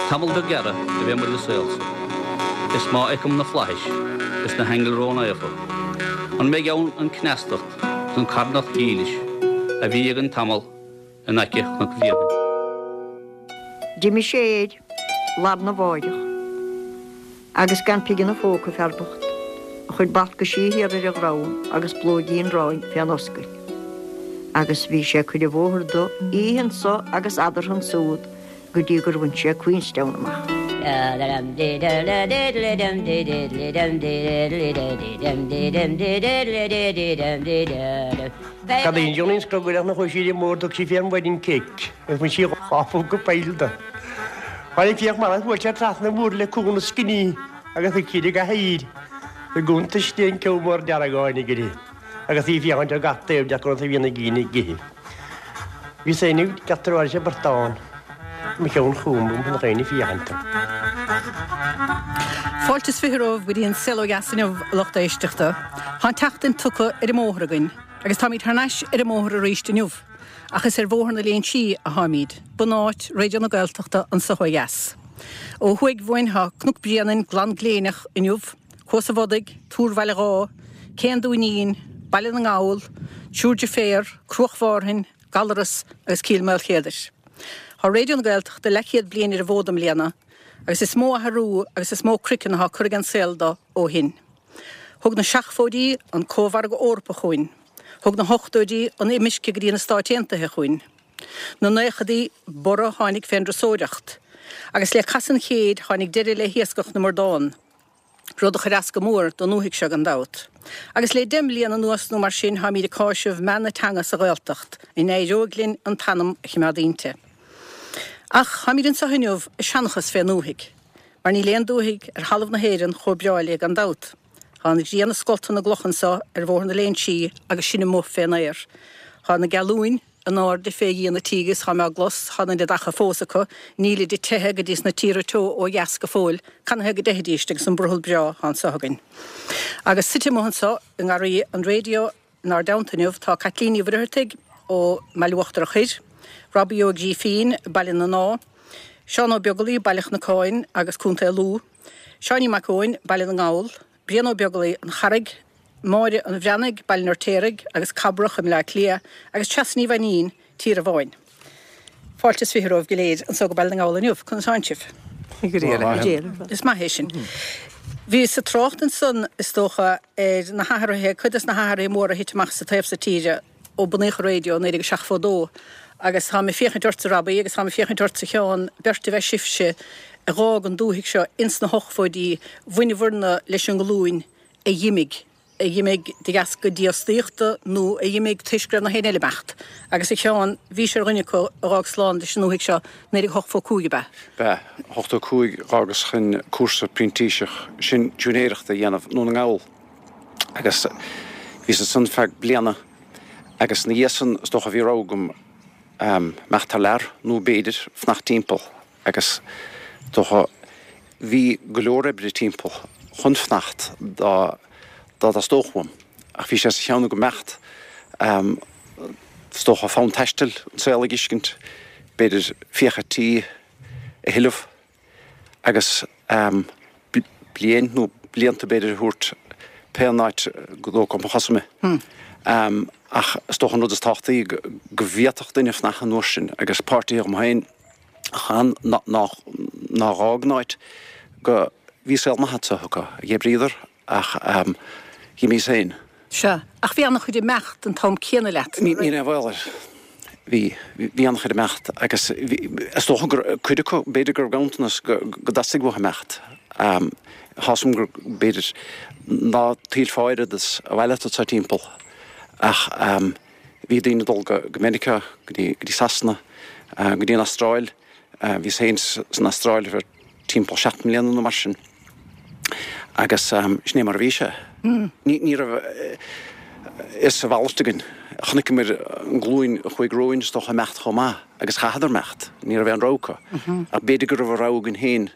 Tamall beag gearra a bheidh muid sa saol so, is má fheicim na flaithis is na haingil ró-naofa, an mbeidh ann an cneastacht is an carthanacht dhílis a bhí againn tamall in aice Chnoc Bhrianain? D'imigh sé air lar na mháireach agus gan pigin 'na phóca fear bocht, a chuid balcaisí thiar ar a dhrom agus plóigín aráin fén oscail. Agus bhí sé ag cur an bhóthair do oíche anso agus eadarthu ansúd go dtí gur bhain sé Queenstown amach. Cad é an Johnny scrogaill ach nach bhfuil sí mór thug sí fé an wedding cake agus bhain sí dhá phúca poill de. Tháinig fiach mara bhuail sé trasna an bhóthair le cúl na scinní agus thug siad i gcathaoir i gcuntais di an ceann mór dearg a tháinig uirthi agus í ag féachaint ar gach taobh de conas a bhí na daoine ag ithe. Bhíos féin ag teacht ar ais portán mo cheann chugam chun na daoine féachaint. Fáilte is 20 romhaibh go dtí an Saol Ó Dheas inniu, a lucht éisteachta. Tá an tseachtain tugtha ar an mbóthar againn agus táimid thar n-ais ar an mbóthar arís inniu. Ach is ar Bhóthar na Léinsí atháimid, bunáit Raidió na Gaeltachta anso ó dheas. Ó thuaidh uainn tá Cnoc Bréanainn glan gléineach inniu, Cuas an Bhodaigh, Túr Bhaile Dháith, Cé an Dúinín, Baile na nGall, Triúr Deirféar, Cruach Mhárthain, Gallaras agus Cill Maoilchéadair. Tá Raidió na Gaeltachta leathchéad bliain ar an bhfód i mbliana agus is mó athrú agus is mó craiceann atá curtha den saol do ó shin. Thug na seachfóidí an Cómhargadh Eorpach chugainn. Thug na hochtóidí an imirce go dtí na Stáit Aontaithe chugainn. Na naochadaí, borradh a tháinig fén dturasóireacht. Agus le casadh an chéid tháinig deireadh le hiascach na mbradán, rud a chuir as go mór don ndúthaigh seo gan dabht. Agus le deich mbliana anuas nó mar sin táimíd ag cáiseamh meath na teanga sa Ghaeltacht, an éireoidh linn an t-anam a chimeád inti? Ach táimíd anso inniu ag seanchas fén ndúthaigh, mar níl aon dúthaigh ar thalamh na hÉireann chomh breá léi gan dabht. Tá an ghrian ag scoltadh na gcloch anso ar Bhóthar na Léinsí agus sinn amuigh fén aer. Tá na gealúin in airde fé dhíon an tí agus tá mé á gclos, tá an oiread acha fós acu, nílid ag teitheadh go dtí sna tíortha teo ó dheas go fóill, canathaobh go dteithfidíst agus an brothall breá atá anso againn. Agus suite amuigh anso i ngarraí an raidió inár dteannta inniu tá Caitlín Ní Mhuircheartaigh ó mBaile Uachtarach Thoir, Robbie Ó Grífín, Baile na nDáth, Seán Ó Beaglaoi, Baile Chnocáin agus Contae Lú, Seáinín Mac Eoin, Baile na nGall, Brian Ó Beaglaoi, An Charraig, Máire an Bhreathnaigh, Baile an Fheirtéaraigh agus Cabrach i mBleá Cliath, agus Treasa Ní Mhainnín, Tír an Bháin. Fáilte is 20 romhaibh go léir anso go Baile na nGall inniu. Conas tánn sibh? Go diail. Is maith é sin. Bhíos ag trácht ansan, is dócha, ar na hathruithe, cuid des na hathruithe móra a thit amach sa taobh so tíre, ó bunaíodh an raidió i 1972 agus táim ag féachaint ortsa Robbie agus táim ag féachaint ortsa Sheán, beirt ab ea sibhse a dh'fhág an dúthaigh seo ins na hochtóidí, bhaineabhair-na leis an nglúin a dh'imigh, a dh'imigh de dheasca dífhostaíochta nó a dh'imigh toisc go raibh na héinne eile ag imeacht. Agus a Sheáin, bhís ar dhuine acu a dh'fhág slán leis an ndúthaigh seo, 1985 ab ea? B'ea, 85 dh'fhágas chun cúrsa printíseach sin siúinéireachta a dhéanamh i nDún na nGall. Agus bhíos ansan feadh bliana agus ina dhiaidh san is dócha bhí rogha agam imeacht thar lear nó b'fhéidir fanacht timpeall agus is dócha bhí go leor oibre timpeall chun fanacht dá dá dteastódh uaim ach bhí sé sa cheann agam imeacht is dócha fonn taistil, an saol a dh'fheiscint, b'fhéidir fiacha tí a thuilleamh. agus bliain nó blianta b'fhéidir a thabhairt pé an áit go dtógfadh mo chosa mé. Ach is dócha an rud is tábhachtaí go bhféadfadh duine fanacht an uair sin agus páirtithe agam féin a chan nár dh'fhág an áit go bhí saol maith anso acu, dh'oibríodar Ach dh'imíos féin. Sea, ach bhí an-chuid ag imeacht an t-am céanna leat. Ní raibh aon bhaol air. Bhí, bhí an-chuid ag imeacht agus bhí, is dócha gur, cuid acu, b'fhéidir go raibh ganntanas go dteastaigh uathu imeacht. Tá 'fhios a'm gur, b'fhéidir, ná tuillfeá oiread is a mhaith leat anseo timpeall ach bhí daoine ag dul go Meiriceá, go dtí, go dtí Sasana, go dtí an Astráil. Bhíos féin san Astráil ar feadh timpeall 7 mbliana nó mar sin agus sin é mar a bhí sé. Ní raibh fhios a mhalairt againn. Chonaiceamar an ghlúin a chuaigh romhainn is dócha ag imeacht chomh maith agus chaitheadar imeacht. Ní raibh aon rogha acu. Ach b'fhéidir go raibh a rogha againn féin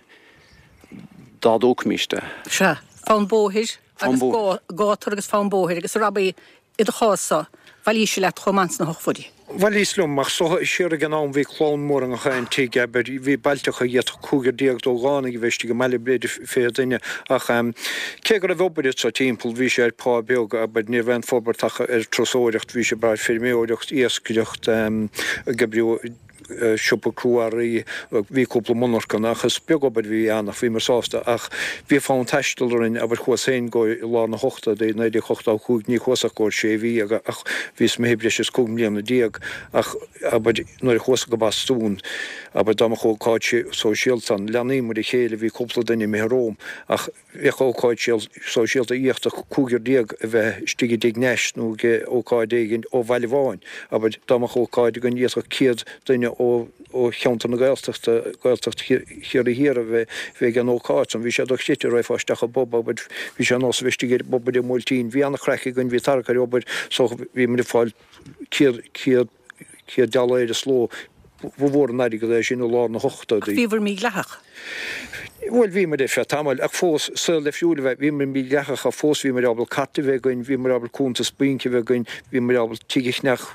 dá dtógfaimis é. Sea, fonn bóthair agus gátar agus fonn bóthair agus a Robbie i do chás-sa. Bhailís leat chomh maith sna hochtóidí. Bhailíos liom, ach siar ag an am bhí clann mór i ngach aon tigh, abair, bhí bailteacha d'fhéadfadh cúigear déag d'ógánaigh a bheith istigh i mbaile, b'fhéidir 20 duine, ach cé go raibh obair anso timpeall, bhí sé ar phá beag, abair, ní raibh aon forbairt ach ar turasóireacht, bhí sé ag brath ar feirmeoireacht, iascaireacht, ag oibriú siopa crua-earraí, bhí cúpla monarchan ach is beag obair a bhí ann ach bhíomar sásta ach bhí fonn taistil orainn, abair chuas féin go i lár na hochtóidí, 1985, ní chuas ach go sé mhí ach bhíos imithe breis is 15 mbliana ach abair nuair a chuas go Bostún, abair dá mbeadh ócáid sóisialta ann, leanaíomar a chéile, bhí cúpla duine imithe romham ach. Bheadh ócáid sóisialta d'fhéadfadh cúigear déag a bheith istigh i dtigh Nash nó ag ócáid éigin ó bhaile amháin. Abair, dá mbeadh ócáid againn d'fhéadfadh 100 duine ó cheantar na Gaeltachta, Gaeltacht Chiarraí Thiar a bheith ag an ócáid san. Bhí sé dochreidte, raghfá isteach i bpub, abair, bhí sé ar nós a bheith istigh i bpub ar an mBuailtín. Bhí an-chraic againn, bhí tarrac ar obair so bhí muid ag fáil 100, 100, 100 dollaeir sa ló. Ba mhór an airgead é sin i lár na hochtóidí. Ach bhíobhair mídhleathach? Bhuel, bhíomar ar feadh tamaill, ach fós, saol difriúil a bheith. Bhíomar mídhleathach ach fós bhíomar ábalta cairt a bheith againn, bhíomar ábalta cuntas bainc a bheith againn, bhíomar ábalta tigh a cheannach,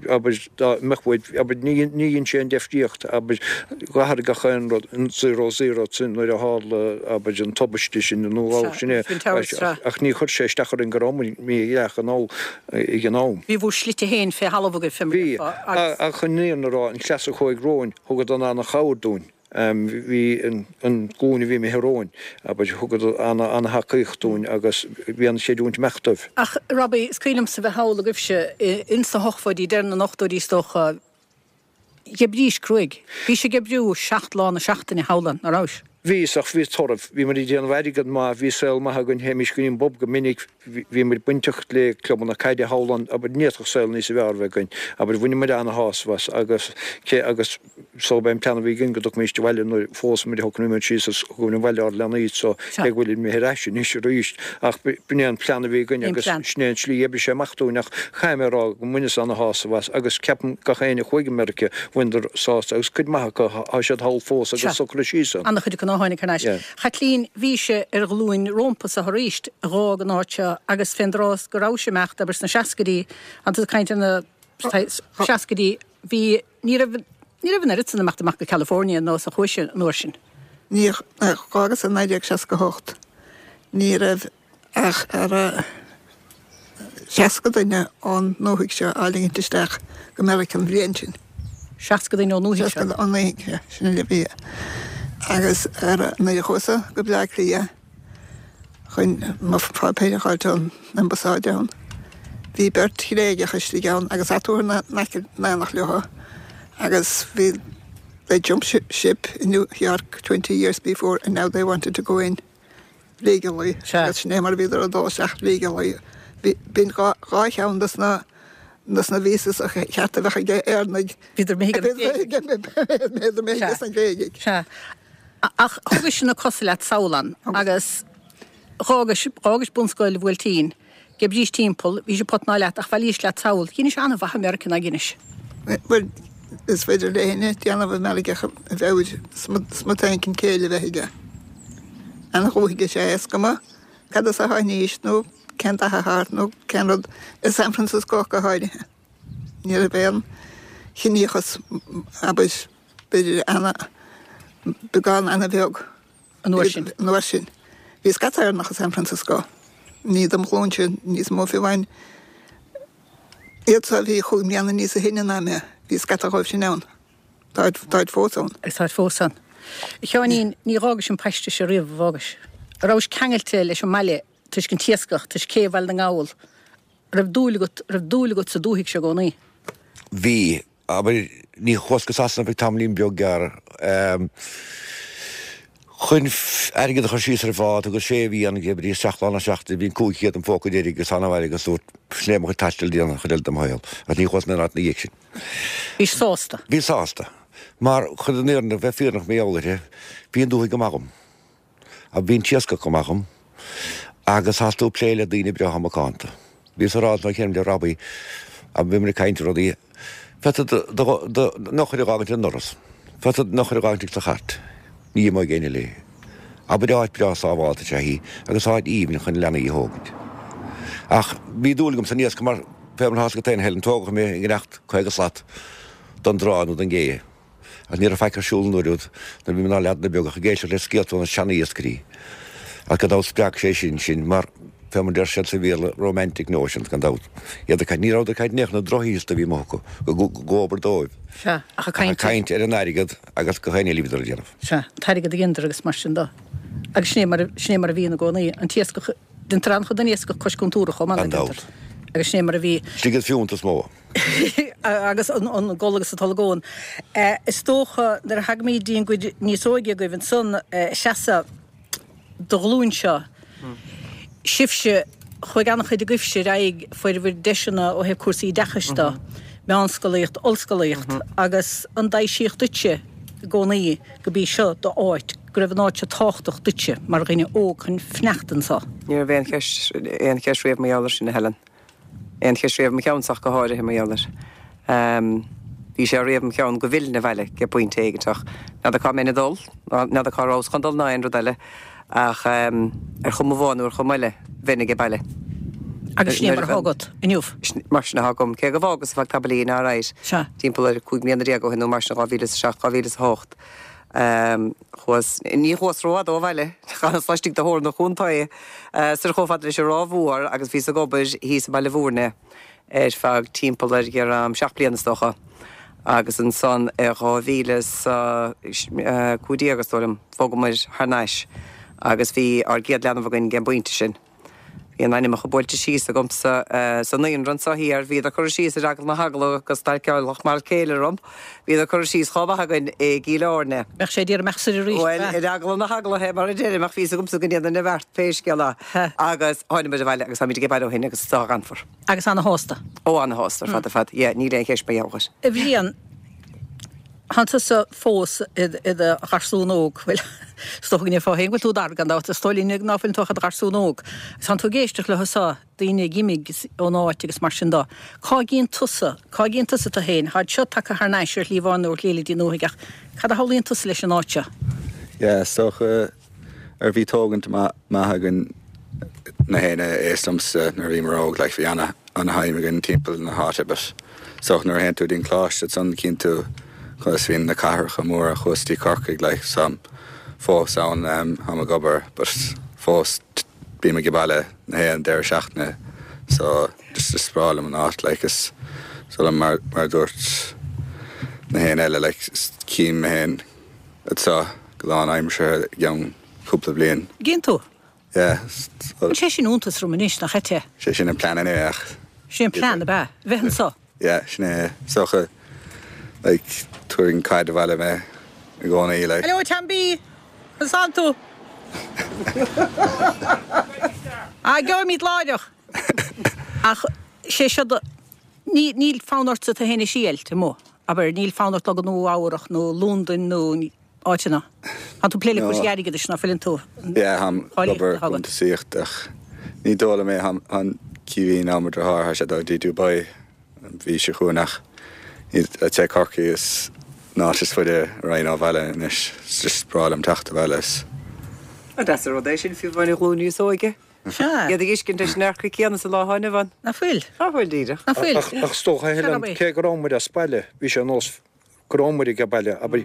abair, dá mbeadh uainn, abair, ní dhein sé aon deifríocht, abair, d'athraigh gach aon rud, an zero zero sin nuair a tharla, abair, an tubaiste sin nó sin é, ach ní chuir sé isteach orainn go rabhamar mídhleathach anall. ag an am. Bhí bhur slite féin fé thalamh agaibh, fé mar a déarfá, agus. Bhí, ach chun an fhírinne a rá, an cleas a chuaigh romhainn, thugadar ana-chabhair dúinn. Bhí an glúin a bhí imithe romhainn, abair, thugadar ana-thacaíocht dúinn agus bhí an-chreidiúint amach dóibh. Ach, Robbie, is cuimhin liomsa bheith thall agaibhse ins na hochtóidí, deireadh na n-ochtóidí is dócha, D'oibrís cruaidh. Bhís ag oibriú 7 lá na seachtaine thall ann, ná rabhais? Bhíos, ach bhí toradh. Bhí muid ag déanamh airgead maith, bhí saol maith againn, théimis go dtí an bpub go minic, bhí muid bainteach le clubanna caide thall ann, abair, ní fhéadfadh saol níos fearr a bheith againn. Abair, bhaineamar ana-shásamh as agus cé agus so b'é an plean a bhí againn go dtiocfaimis abhaile nuair a phós muid, shocraigh muid síos agus thugamar abhaile ár leanaí so cé go bhfuilid imithe ar ais anois arís ach b'in é an plean a bhí againn agus sin é an tslí a oibrigh sé amach dúinn ach Caithfidh mé a rá go mbaineas ana-shásamh as agus ceapaim gach éinne a chuaigh go Meiriceá, bhaineadar sásamh agus cuid maith acu, tá siad thall fós agus socraithe síos ann. Ana-chuid acu nár tháinig thar n-ais. Chaitlín, bhís ar ghlúin rómpa-sa arís a dh'fhág an áit seo agus fén dtráth go rabhais ag imeacht, abair sna seascaidí, tá tú ag caint ar na seascaidí, bhí, ní raibh, ní raibh an oiread san ag imeacht amach go California ar nós a chuaigh an uair sin. Ní, dh'fhágas i 1968, ní raibh ach ar 60 duine ón ndúthaigh seo á ligint isteach go Meiriceá an bhliain sin. 60 duine ón ndúthaigh seo? 60 ón ndúthaigh seo, sin uile a bhí. Agus ar, nuair a chuas-sa go Bleá Cliath chun mo pháipéir a fháilt ón ambasáid ann, bhí beirt Ghréigeach istigh ann agus eatarthu in aice in éineacht leo agus bhí, they jumped ship in New York 20 years before and now they wanted to go in. legally agus sin é mar a bhíodar ag dul isteach legally. B'in dhá cheann dos na dos na visas a cheart a bheadh ag Éireannaigh. Bhíodar imithe ag na Gréigigh. Bhíodar imithe ag na Gréigigh. Sea. Ach thugais na cosa leat sall ann agus dh'fhágais, dh'fhágais bunscoil Bhuailtín, D'oibrís timpeall, bhís ag potnáil leat ach bhailís leat sall. Dheinis an-mhaith i Meiriceá, ná dheinis? Bhuel, is féidir le héinne déanamh i Meiriceá ach a mheabhair smut éicint céille a bheith aige. Ana-dhúthaigh is ea é, is cuma cad as a tháinís nó cén dath atá ort nó cén rud, i San Francisco ach go háirithe. Ní raibh aon chiníochas, abair, b'fhéidir ana, beagán ana-bheag. An uair sin. An uair sin. Bhí scata Éireannach i San Francisco. Ní dem ghlúinse níos mó fiú amháin. Iad so a bhí chúig mbliana níosa shine ná mé, bhí scata dhóibh sin ann. Táid, táid fós ann. Agus táid fós ann. A Sheáinín, ní dh'fhágais an paiste seo riamh, a dh'fhágais? An rabhais ceangailte leis an mbaile toisc an t-iascach, toisc cé Bhaile na nGall? An raibh dúil agat, an raibh dúil agat sa dúthaigh seo i gcónaí? Bhí. Abair, ní chuas go Sasana ach tamaillín beag gearr chun airgead a chur síos ar an bhád agus sé mhí ann ag oibriú 7 lá na seachtaine, bhí an 500 im phóca deiridh agus thána abhaile agus dúirt, sin é mo chuid taistil déanta an chuid eile de mo shaol agus ní chuas in aon áit ina dhiaidh sin. Bhís sásta? Bhí sásta. Mar chun an fhírinne, bheith fírinneach mar gheall uirthi, bhí an dúthaigh go maith dhom. Ach bhí an t-iascach go maith dhom agus thosaigh tú ag plé le daoine breátha macánta. Bhíos ag rá an chéanna le Robbie agus bhí muid ag caint ar rudaí. Féadfaidh do d'eochair a dh'fhágaint ar an ndoras. Féadfaidh d'eochair a dh'fhágaint ag do chairt. Ní imeoidh éinne léi. Abair áit breá sábhálta is ea í agus áit aoibhinn chun leanaí a thógaint. Ach bhí dúil agam san iascach mar. fé mar atá agat féin, Helen, tógadh mé i ngineacht 50 slat don dtrá nó don gcé. Ach ní raibh faic ar siúl an uair úd nuair a bhí muid inár leaideanna beaga ach ag éisteacht le scéalta ó na seana-iascairí. Ach gan dabht spreag sé sin sinn mar, fé mar deir siad sa Bhéarla, romantic notions, gan dabht. Iad ag caint, ní rabhadar ag caint in aon chor ar na drochshaolta a bhí amuigh acu, go obair dóibh. Sea, ach ag caint. Ach ag caint ar an airgead agus gach aon ní eile a bhíodar a déanamh. Sea, an t-airgead a dheineadar agus mar sin de. Agus sin é mar, sin é mar a bhí ina gcónaí, an t-iascach, deintear an-chuid den iascach cois contúrach chomh maith Gan le dabht. deintear. Agus sin é mar a bhí. Sliogadh fiúntas is mó. Agus an gol agus an t-olagón. Is dócha nuair a thagaimid dtí an gcuid níos óige agaibh ansan, Treasa, do ghlúin seo, sibhse, chuaigh an-chuid agaibhse ar aghaidh, fuair bhur deiseanna ó thaobh cúrsaí oideachais de, meánscolaíocht, ollscolaíocht, agus an dtaibhsíodh duitse i gcónaí gurb í seo d'áit, go raibh an áit seo tábhachtach duitse mar dhuine óg chun fanacht anso? Ní raibh aon cheist, aon cheist riamh mar gheall air sin, a Helen. Aon cheist riamh i mo cheannsa ach go háirithe mar gheall air. Bhí sé riamh im cheann go bhfillfinn abhaile ag pointe éigint ach n'fheadar cá mbeinn ag dul, n'fheadar cá rabhas chun dul ná aon rud eile ach ar chuma amháin nó ar chuma eile bheinn age baile. Agus sin é mar atá agat inniu? Mar sin atá agam, cé go bhfágas ar feadh tamaillín, alright, timpeall ar 15 mbliana ó shin nó mar sin, 2007, 2008. Chuas, ní chuas rófhada ó bhaile, d'fhanas laistigh de theorainn an chontae, soir chomh fada leis an Ráth Mhór agus bhíos ag obair thíos i mBaile Bhúirne ar feadh timpeall ar sheacht bliana is dócha agus ansan i 2015 is dóigh liom, bhogamair thar n-ais agus bhí ár gcéad leanbh againn ag an bpointe sin. Bhí a n-ainmneacha buailte síos agamsa sa naíonra anso thiar, bhíodar curtha síos ar eagla na heagla go stailceálfadh m'fhear céile orm, bhíodar curtha síos chomh maith againn i gCill Airne. Bheadh sé ag iarraidh imeacht soir arís, Bhuel, ar eagla na heagla, fé mar a deirim, ach bhí fhios agamsa go ndéanfainn an bheart pé scéal é. Agus tháinigh abhaile agus táimid age baile ó shin agus is dá ghanfar. Agus ana-shásta. Ó, ana-shásta ar fad ar fad, yeah, níl aon cheist mar gheall air. A Bhriain, Tánn tusa fós i do gharsún óg, bhuel, is dócha go ndéarfá féin go bhfuil tú d'fhear, gan dabht, is dóigh linn ná fuileann tú ach i do gharsún óg. Agus tánn tú ag éisteacht leo so, daoine ag imigh ón áit agus mar sin do. Cá gcíonn tusa, cá gcíonn tusa tú féin? Táid seo tagtha thar n-ais ar shlí amháin nó ar shlí eile dtí an ndúthaigh ach cad a shamhlaíonn tusa leis an áit seo? Yeah, is dócha, ar bhí tógaint maith againn na héinne aos liomsa nuair a bhíomar óg, like bhí ana ana-thaim againn timpeall na háite but is dócha nuair a théann tú dtí'n coláiste ansan cíonn tú conas bhíonn na cathracha móra chuas dtí Corcaigh like so táim fós ann táim ag obair but fós bím age baile na haon deireadh seachtaine so just is breá liom an áit like is so liom mar mar a dúirt na héinne eile like cím mé féin anseo go lánaimseartha i gceann cúpla bliain. Gcíonn tú? Yeah. Bhuel sé sin iontas orm anois, nach ait é? Sé sin an plean anyway ach. Sé an plean, ab ea? Bheith anseo? Yeah, sin é. Is dócha, like, tabharfaidh an caid abhaile mé i gcónaí, like. Hello, Chamby! Conas tánn tú? Ah, gheobhaimid láithreach! Ach sé seo do, ní, níl fonn ortsa tú féin a thriailt amuigh, abair, níl fonn ort dul go Nua Eabhrach nó Londain nó áiteanna. Tá tú ag plé le cúrsaí airgeadais, ná fuileann tú? Yeah, táim ag obair cuntasaíocht ach ní dóigh liom é, tá an Caoimhín mo dheartháir, tá sé ag dul dtí Dubai an mhí seo chugainn ach I'd say Corcaigh is an áit is faide a raghainn ó bhaile anois, it's just breá liom teacht abhaile is. An deas an rud é sin, fiú amháin an ghlúin níos óige. Sea. Iad ag tuiscint leis an dearcadh céanna sa lá atá inniu ann. Ná fuil? Ná fuil, díreach. Ná fuil? Ach is dócha, a Helen, cé go raibh muid as baile, bhí sé nós go raibh muid age baile, abair,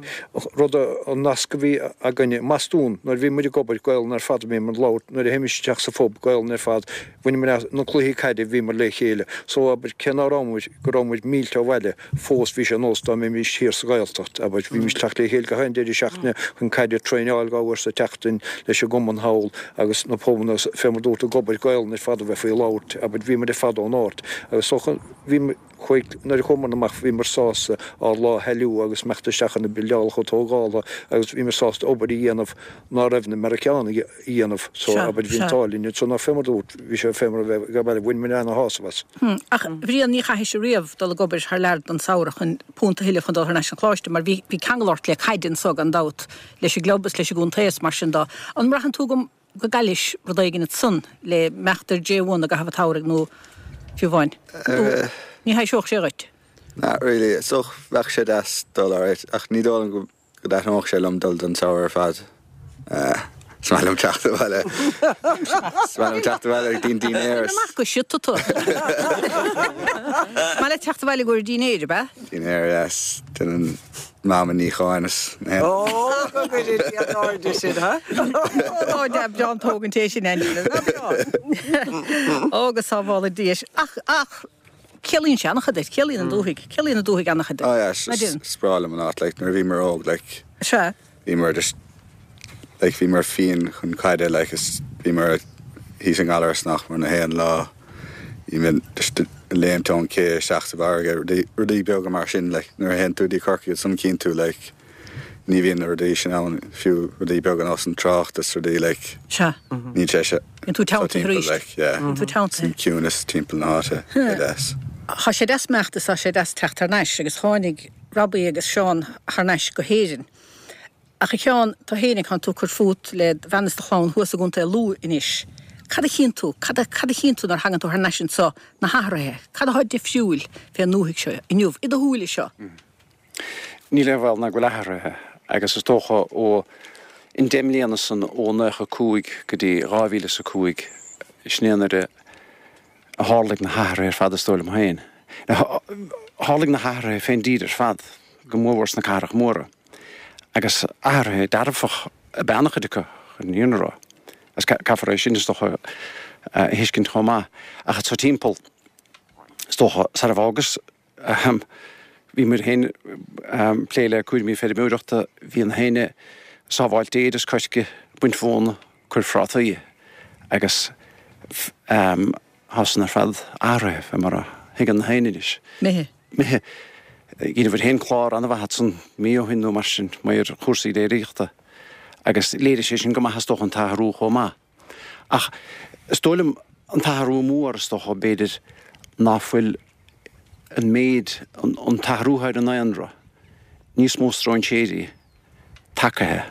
rud a, an nasc a bhí againne i mBostún nuair a bhí muid ag obair, Gaolainn ar fad a bhíomar ag labhairt, nuair a théimis isteach sa phub, Gaolainn ar fad, bhaineamar as, na cluichí caide, bhíomar le chéile. So, abair, cé ná raibh muid, go raibh muid mílte ó bhaile, fós bhí sé nós dá mbeimis thiar sa Ghaeltacht, abair, bhímis ag teacht le chéile gach aon deireadh seachtaine chun caide, traenáil dhá uair sa tseachtain leis an gcumann thall agus na pubanna, fé mar dúirt, ag obair, Gaolainn ar fad a bheith faoi labhairt, abair, bhíomar ar fad ón áit agus so, bhí. Chuaigh, nuair a chuamar amach bhíomar sásta ár lá a thoiliú agus imeacht isteach ar na buildeálacha tógála agus bhíomar sásta obair a dhéanamh ná raibh na Meiriceánaigh a dhéanamh so abair bhí an t-ádh linn anso ná fé mar dúirt bhí sé fé mar a bheith ag baile bhain muid ana-shásamh as. Ach a Bhriain ní chaithfeadh riamh dul ag obair thar lear don samhradh chun punt a thuilleamh chun dul thar n-ais chun coláiste mar bhí bhí ceangal ort le caid anso gan dabht leis an gclub is leis an gcontae is mar sin dó. An mbraitheann tú go go gcaillis rud éigin ansan le imeacht ar J1 i gcaitheamh an tsamhraidh nó fiú amháin nó ní thaibhseodh sé dhuit? Not really. Is dócha bheadh sé deas dul alright ach ní dóigh liom go dtaitneodh sé liom dul don samhradh ar fad. Is maith liom teacht abhaile. Is maith liom teacht abhaile ag dtí an dinnéar. Amach go siota tú. Is maith leat teacht abhaile i gcomhair dinnéir, ab ea? Dinnéar, yes. Déanann Mam an níocháin is na Ó, go gcuire Dia in airde sin, ha? Ó, dea, breá an tógaint é sin, Angela. Ná breá. Ó, go sábhála Dia. Ach, ach, ciallaíonn sé an-chuid duit, ciallaíonn an dúthaigh, ciallaíonn an dúthaigh an-chuid duit. Oh yeah, is breá liom an áit, like, nuair a bhíomar óg, like, Sea. bhíomar just, like, bhíomar fiáin chun caide, like, is bhíomar thíos i nGallaras nach mór na haon lá, bhíomar just ag léimt ón ché isteach sa bhfarraige, rudaí, rudaí beaga mar sin, like, nuair a théann tú dtí Corcaigh ansan cíonn tú, like, ní bhíonn na rudaí sin ann, fiú rudaí beaga nós an trácht is rudaí, like, Sea. níl sé seo Bíonn tú teanntaithe arís. like, yeah. Bíonn tú teanntaithe. An ciúnas timpeall na háite, é deas. Tá sé deas imeacht is tá sé deas teacht thar n-ais agus tháinig Robbie agus Seán thar n-ais go hÉirinn. Ach a Sheáin, tú fhéinig, tánn tú ag cur fút le do bhean is do chlann thuas i gContae Lú anois. Cad a chíonn tú, cad a, cad a chíonn tú nuair a thagann tú thar n-ais anso, na hathruithe? Cad atá difriúil fén ndúthaigh seo inniu, i do shúile seo? Níl aon bhaol ná go bhfuil athruithe agus is dócha ó an deich mbliana san ó 95 go dtí 2005 sin é an uair a tharlaigh na hathruithe ar fad is dóigh liom féin. Tharlaigh na hathruithe fén dtír ar fad, go mórmhór sna cathracha móra agus athruithe dearfach ab ea an-chuid acu chun an fhírinne a rá. Agus caithfear é sin is dócha a thuiscint chomh maith. Ach anso timpeall is dócha sar a bhfágas Ahem. Bhí muid féin ag plé le cúraimí feirmeoireachta, bhí na héinne sábháilt féir is coirce, baint mhóna, cur phrátaí agus ahem tá san ar fad athraithe fé mar a thuigeann na héinne anois. Imithe. Imithe. Dheineabhair féin clár an-mhaith ansan mí ó shin nó mar sin, mar chúrsaí déiríochta agus léirigh sé sin go maith is dócha an t-athrú chomh maith. Ach is dóigh liom an t-athrú mór is dócha, b'fhéidir, ná fuil an méid, an t-athrú ar an ndaonra, níos mó stróinséirí tagaithe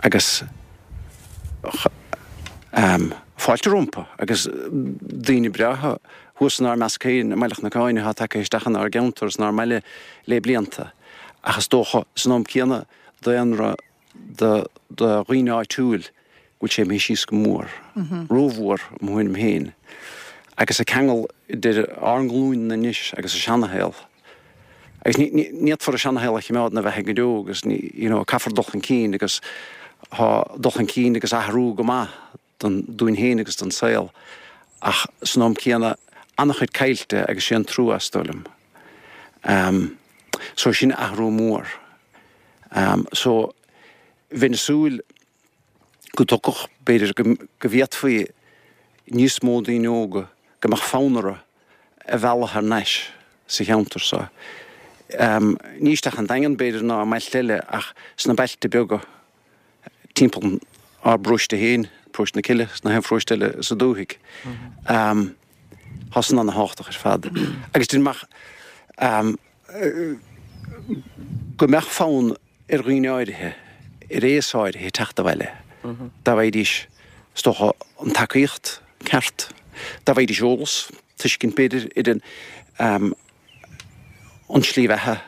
agus fáilte rompu agus daoine breátha thuas inár measc féin i mBaile Chnocáin atá tagtha isteach inár gceantar is inár mbaile le blianta. Ach is dócha san am céanna daonra do dhaoine áitiúil go bhfuil sé imithe síos go mór, rómhór i mo thuairim féin. Agus an ceangal idir ár nglúin anois agus an seanashaol. Agus ní fhéadfar an seanashaol a choimeád ina bheathaidh go deo agus ní, you know, caithfear dul chun cinn agus tá dul chun cinn agus athrú go maith don, dúinn féin agus don saol ach san am céanna an-chuid caillte agus sé an trua is dóigh liom. So sin athrú mór. So bheinn ag súil go dtiocfadh, b'fhéidir go, go bhféadfaí níos mó daoine óga, go mbeadh fonn orthu a mhealladh thar n-ais sa cheantar so. Ní isteach an Daingean b'fhéidir ná i mbailte eile ach sna bailte beaga timpeall ár bparóiste féin, Paróiste na Cille, is na haon pharóiste eile sa dúthaigh. Tá san ana-thábhachtach ar fad. Agus déarfainn go mbeadh fonn ar dhaoine áirithe, ar aos áirithe teacht abhaile, dá bhfaighidís, is dócha, an tacaíocht ceart, dá bhfaighidís eolas, tuiscint b'fhéidir, ar an tslí bheatha,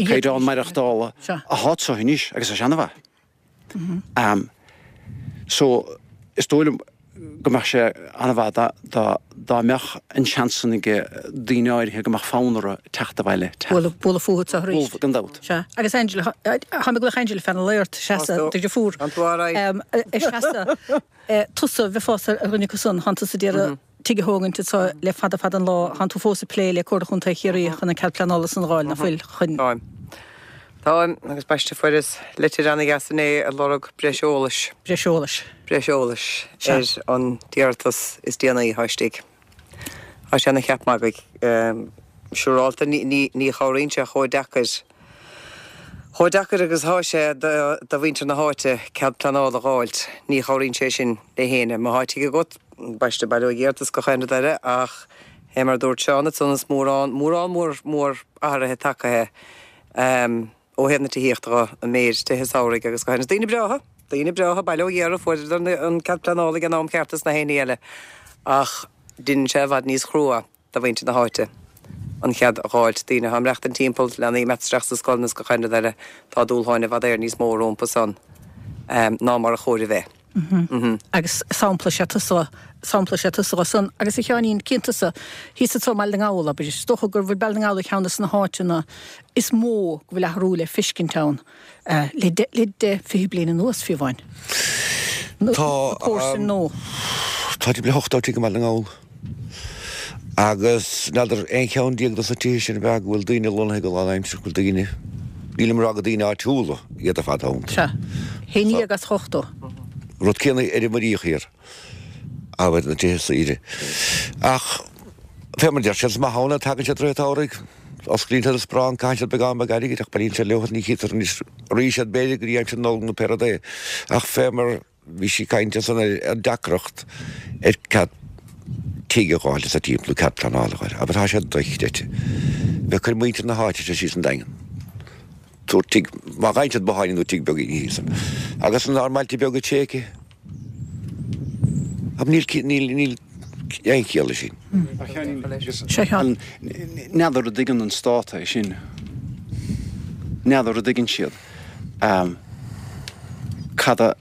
caighdeán maireachtála atá anso anois agus tá sé ana-mhaith. So, is dóigh liom go mbeadh sé ana-mhaith dá mbeadh an seans san ag daoine áirithe go mbeadh fonn orthu teacht abhaile. Bualadh fúthu anseo arís. Bualadh, gan dabht. Sea. Agus Angela, tá mé ag glaoch Angela feadh na laort, seasa, do dheirfiúr. An tú alright? Seasa, tusa, bheifeá ar dhuine acu san, thánn tusa d'iarraidh tigh a thógaint anso le fada fada an lá. Thánn tú fós ag plé le Comhairle Chontae Chiarraí chun an cead pleanála san a dh'fháil, ná fuil? Chun. Táim. Táim, agus baiste fuaireas litir ana-dheas inné ag lorg breis eolais. Breis eolais. Breis eolais ar an iarratas is déanaí atá istigh. Tá sé ina cheap magaidh. Siúrálta ní chabhraíonn sé chomh deacair, chomh deacair agus atá sé do mhuintir na háite cead pleanála a dh'fháilt. Ní chabhraíonn sé sin le héinne. Má thá tigh agat, baiste baileoidh iarratas gach aon rud eile ach fé mar a dúirt Seán ansan is mórán, mórán mór mór athraithe tagaithe ó thaobh na tithíochta dho, an méid tithe samhraidh agus gach aon rud. Daoine breátha, daoine breátha, Baile Ó Ghéara, fuaireadar an cead pleanála ag an am ceart is na haon ní eile ach deineann sé i bhfad níos chrua do mhuintir na háite an cead a dh'fháilt. Daoine atá ag maireachtaint timpeall, leanaí ag imeacht isteach sna scoileanna is gach aon rud eile, tá dúshláin i bhfad Éireann níos mó rompu san. ná mar a chóir a bheith. Agus sampla is ea tusa, sampla is ea tusa dhe san. Agus a Sheáinín, cíonn tusa, thíos anso i mBaile na nGall, abair, is dócha gur bhfuil Baile na nGall ar cheann de na háiteanna is mó go bhfuil athrú le fiscint ann le le deich, 20 bliain anuas, fiú amháin. Na comharsain nó. Tá timpeall le 80 tigh i mBaile na nGall. Agus n'fheadar aon cheann dos na tithe sin ab ea go bhfuil daoine lonnaithe go lánaimseartha, go bhfuil daoine, nílim ag rá gur daoine áitiúla iad ar fad ann. Sea. Haon dhéag as 80. Rud céanna ar an Muiríoch thiar, abair, na tithe saoire. Ach fé mar a deir siad, is maith ann é, tagann siad i rith an tsamhraidh, osclaíonn siad an sparán, caitheann siad beagán beag airgid ach bailíonn siad leo, ní chítear anois arís iad b'fhéidir go dtí aimsir na Nollag nó pé rud é. Ach fé mar. Bhí sí ag caint ansan ar an deacracht ar cead tigh a dh'fháil sa timpeall nó cead pleanála a dh'fháil. Abair tá sé dochreidte. Bheith ag cur muintir na háite seo síos an Daingean. Tabhairt tigh, má fhaigheann siad botháinín nó tigh beag thíos ann. Agus inár mbailte beaga tréigthe. Abair níl, níl, níl aon chiall leis sin. N'fheadar an dtuigeann an stát é sin. N'fheadar an dtuigeann siad. Cad a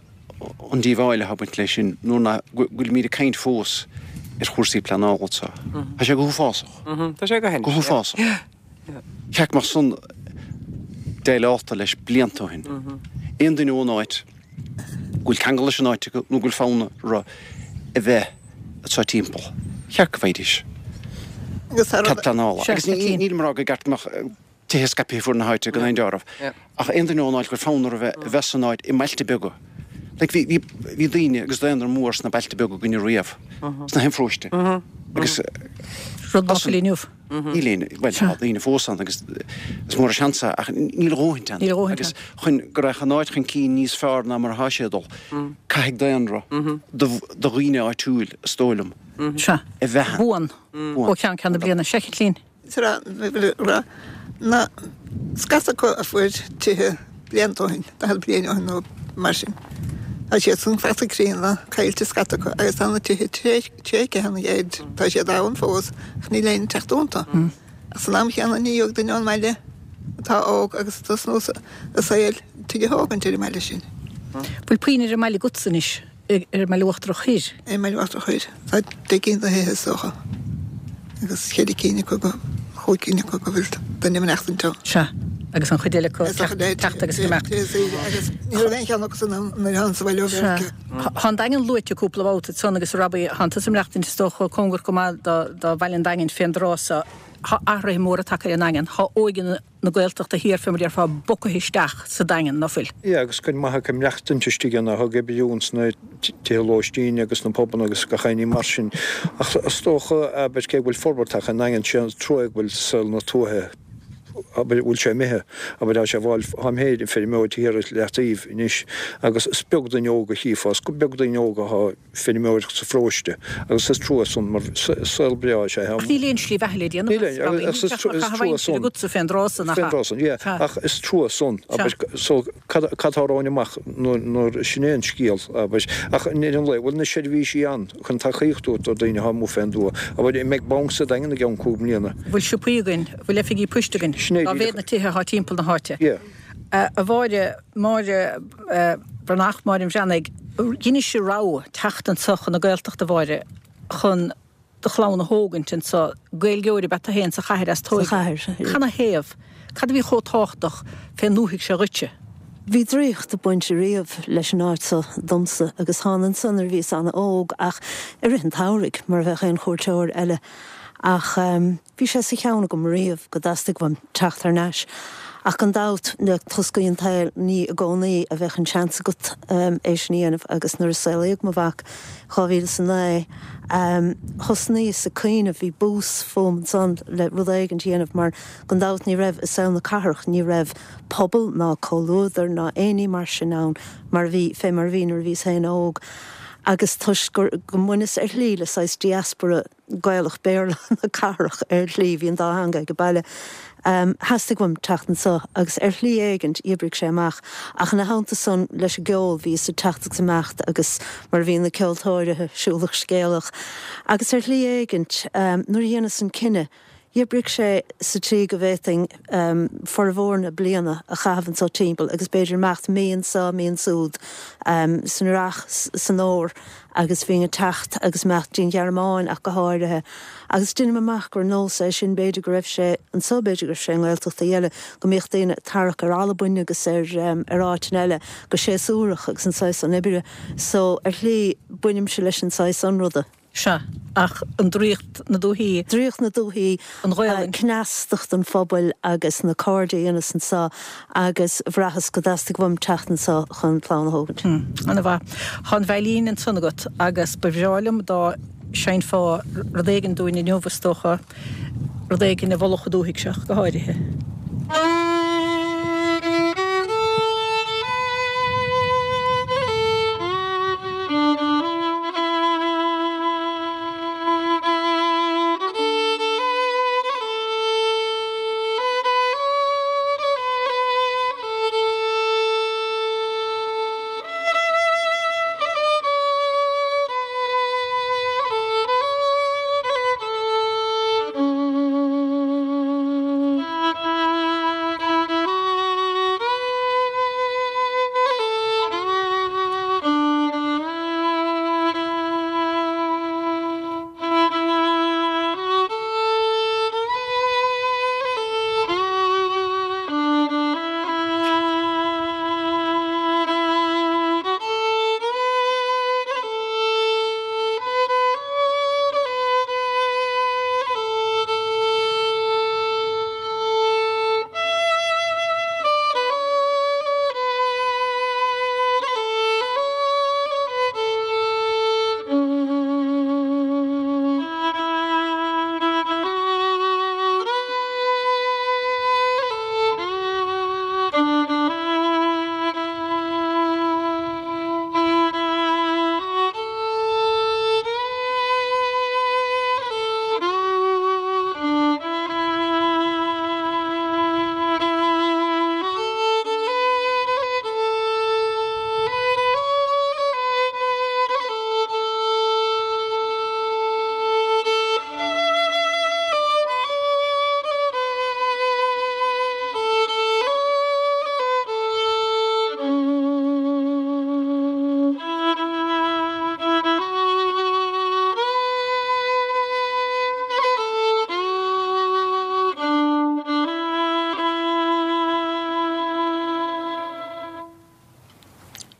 an díobháil atá ag baint leis sin nuair nach bhfuilimid ag caint fós ar chúrsaí pleanála anseo. Tá sé go huafásach. Tá sé go Go huafásach. Cheart go mbeadh san déileálta leis blianta ó shin. Aon duine ón áit go bhfuil ceangal leis an áit acu nó go bhfuil fonn orthu a bheith anseo timpeall, cheart go bhfaighidís cead pleanála. Agus nílim ag rá gur ceart go mbeadh tithe scaipthe fuaid na háite gan aon dealramh. Ach aon duine ón áit go bhfuil fonn orthu a bheith san áit i mbailte beaga. Like bhí, bhí, bhí daoine agus daonra mór sna bailte beaga againne riamh, sna haon pharóiste. Agus Rud nach bhfuil inniu. Níl aon, bhuel tá daoine fós ann agus is mór an seans é ach níl a dhóthaint ann. Níl a dhóthaint ann. Agus chun go raghadh an áit chun cinn níos fearr ná mar atá sé ag dul, caithfidh daonra do, do dhaoine áitiúil, is dóigh liom, a bheith ann. Buan. Ó cheann ceann na bliana. Sea, a Chaitlín. Tráth na scata acu a fuair tithe blianta ó shin, 40 bliain ó shin nó mar sin. Tá siad san fanta críonna, caillte scata acu agus tá na tithe tréigthe cheana féin. Tá siad ann fós ach níl éinne ag teacht iontu. Ach san am chéanna ní gheobhaidh duine ón mbaile atá óg agus ag tosnú a saoil tigh a thógaint ar an mbaile sin. Bhfuil puinn ar an mbaile agatsa anois? Ar an mBaile Uachtarach Thoir. Ar an mBaile Uachtarach Thoir. Tá 10 gcinn de thithe is dócha agus cheithre cinn acu go, chúig cinn acu go bhfuil duine ag maireachtaint ann. Sea. Agus an chuid eile acu ag teacht agus ag imeacht. Agus ní raibh aon cheann acu san ann nuair a thánas abhaile ó Mheiriceá. Sea. Tá an Daingean luaite cúpla babhta ansan agus a Robbie, tánn tusa ag maireachtaint is dócha cóngarach go maith do Bhaile an Daingin fén dtráth so. Tá athruithe móra tagtha ar an nDaingean. Tá óige na. na Gaeltachta thiar fé mar a déarfá bogtha isteach sa Daingean, ná fuil? Yeah, agus cuid maith acu ag maireachtaint istigh ann, ag oibriú ins na tithe lóistín agus na pubanna agus gach aon ní mar sin. Ach is dócha, abair, cé go bhfuil forbairt tagtha ar an nDaingean, sé an trua go bhfuil saol na tuaithe, abair, bhfuil sé imithe, abair, tá sé ag fáil, táim féin ag feirmeoireacht thiar ar leataobh anois agus is beag duine óg a chífeá, is beag daoine óga atá, feirmeoireacht sa pharóiste agus is trua san mar saol breá is ea é. Ach níl aon slí bheatha le déanamh as, Robbie. Níl teach mar chaitheamh aimsire agatsa fén dtráth san, nach ea? Fén dtráth san, yeah. Ach is trua san, abair, so cad atá romhainn amach nuair sin é an scéal, abair. Ach i ndeireadh an lae, bhfuil na seirbhísí ann chun tacaíocht a thabhairt do daoine atá amuigh fén dtuath? Abair, an mbeidh banc sa Daingean i gceann cúig mbliana? Bhfuil siopaí againn? Bhfuil oifigí poist againn? Sin é Dá mhéad na tithe atá timpeall na háite. Yeah. A Mháire, Máire Bhreathnach, Máire an Bhreathnaigh, dheinis rogha teacht anso chun na Gaeltachta, a Mháire, chun do chlann a thógaint anso. Gaeilgeoir ab ea tú féin sa chathair as tóigeadh. Sa chathair. Canathaobh? Cad a bhí chomh tábhachtach fén ndúthaigh seo dhuitse? Bhí draíocht ag baint riamh leis an áit so domsa agus thána anso nuair a bhíos ana-óg ach i rith an tsamhraidh mar a bheadh aon chuairteoir eile ach Bhí sé sa cheann agam riamh go dteastaigh uaim teacht thar n-ais, ach gan dabht, le toscaí an tsaoil, ní i gcónaí a bheadh an seans agat é sin a dhéanamh agus nuair a saolaíodh mo mhac, 2009, thosnaíos ag cuimhneamh, bhí bús fúm ansan le rud éigint a dhéanamh mar gan dabht ní raibh i saol na cathrach, ní raibh pobal ná comhluadar ná aon ní mar sin ann mar a bhí, fé mar a bhí nuair a bhíos féin óg agus toisc gur, go mbaineas ar shlí le saghas diaspora, Gaelach Béarla na cathrach ar shlí, bhí an dá theanga ag baile. Theastaigh uaim teacht anso agus ar shlí éigint dh'oibrigh sé amach. Ach ina theannta san leis an gceol, bhíos ag teacht agus imeacht agus mar a bhíonn na ceoltóirithe, siúlach scéalach. Agus ar shlí éigint nuair a dhéanas an cinneadh. D'oibrigh sé sa tslí go bhféadfainn formhór na bliana a chaitheamh anso timpeall agus b'fhéidir imeacht mí anso, mí ansúd, san earrach, san fhómhar agus bhínn ag teacht agus imeacht dtí'n Ghearmáin ach go háirithe. Agus deinim amach gur nós é sin, b'fhéidir go raibh sé anso, b'fhéidir go raibh sé i nGaeltachtaí eile, go mbíodh daoine ag tarrac ar Albain agus ar ar áiteanna eile go séasúrach agus an saghas san oibre. So, ar shlí, bainimse leis an saghas san ruda. Sea, ach an draíocht na dúichí. Draíocht na dúichí, an Ghaelainn. cneastacht an phobail agus na cairde a dhéanas anso agus bhraitheas go dteastaigh uaim teacht anso chun clann a thógaint. Ana-mhaith. Tá an veidhlín ansan agat agus ba bhreá liom dá seinnfeá rud éigin dúinn inniu, is dócha, rud éigin a mholfadh an dúthaigh seo go háirithe.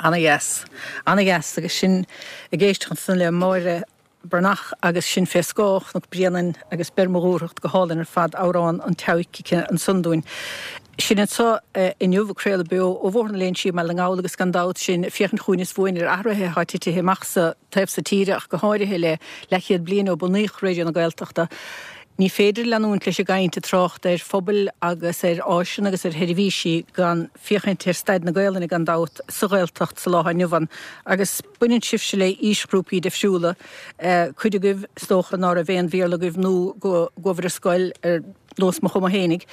Ana dheas. Ana dheas agus sinn ag éisteacht ansan le Máire Breathnach agus sinn fé scáth Chnoc Bréanainn agus Beir Mo Dhúthracht go hálainn ar fad, amhrán an tSeabhaic aici ansan dúinn. Sinn anso inniu ag craoladh beo ó Bhóthar na Léinsí i mBaile na nGall agus gan dabht sinn ag féachaint chugainn is bhuainn ar athruithe atá titithe amach sa taobh so tíre ach go háirithe le leathchéad bliain ó bunaíodh Raidió na Gaeltachta. Ní féidir leanúint leis an gcaint ag trácht ar phobail agus ar áiseanna agus ar sheirbhísí gan féachaint ar staid na Gaelainne gan dabht sa Ghaeltacht sa lá atá inniu ann agus Baineann sibhse le aoisghrúpaí difriúla, cuid agaibh is dócha ná raibh aon Bhéarla agaibh nó go gcuabhair ar scoil ar nós mo chuma fhéinig,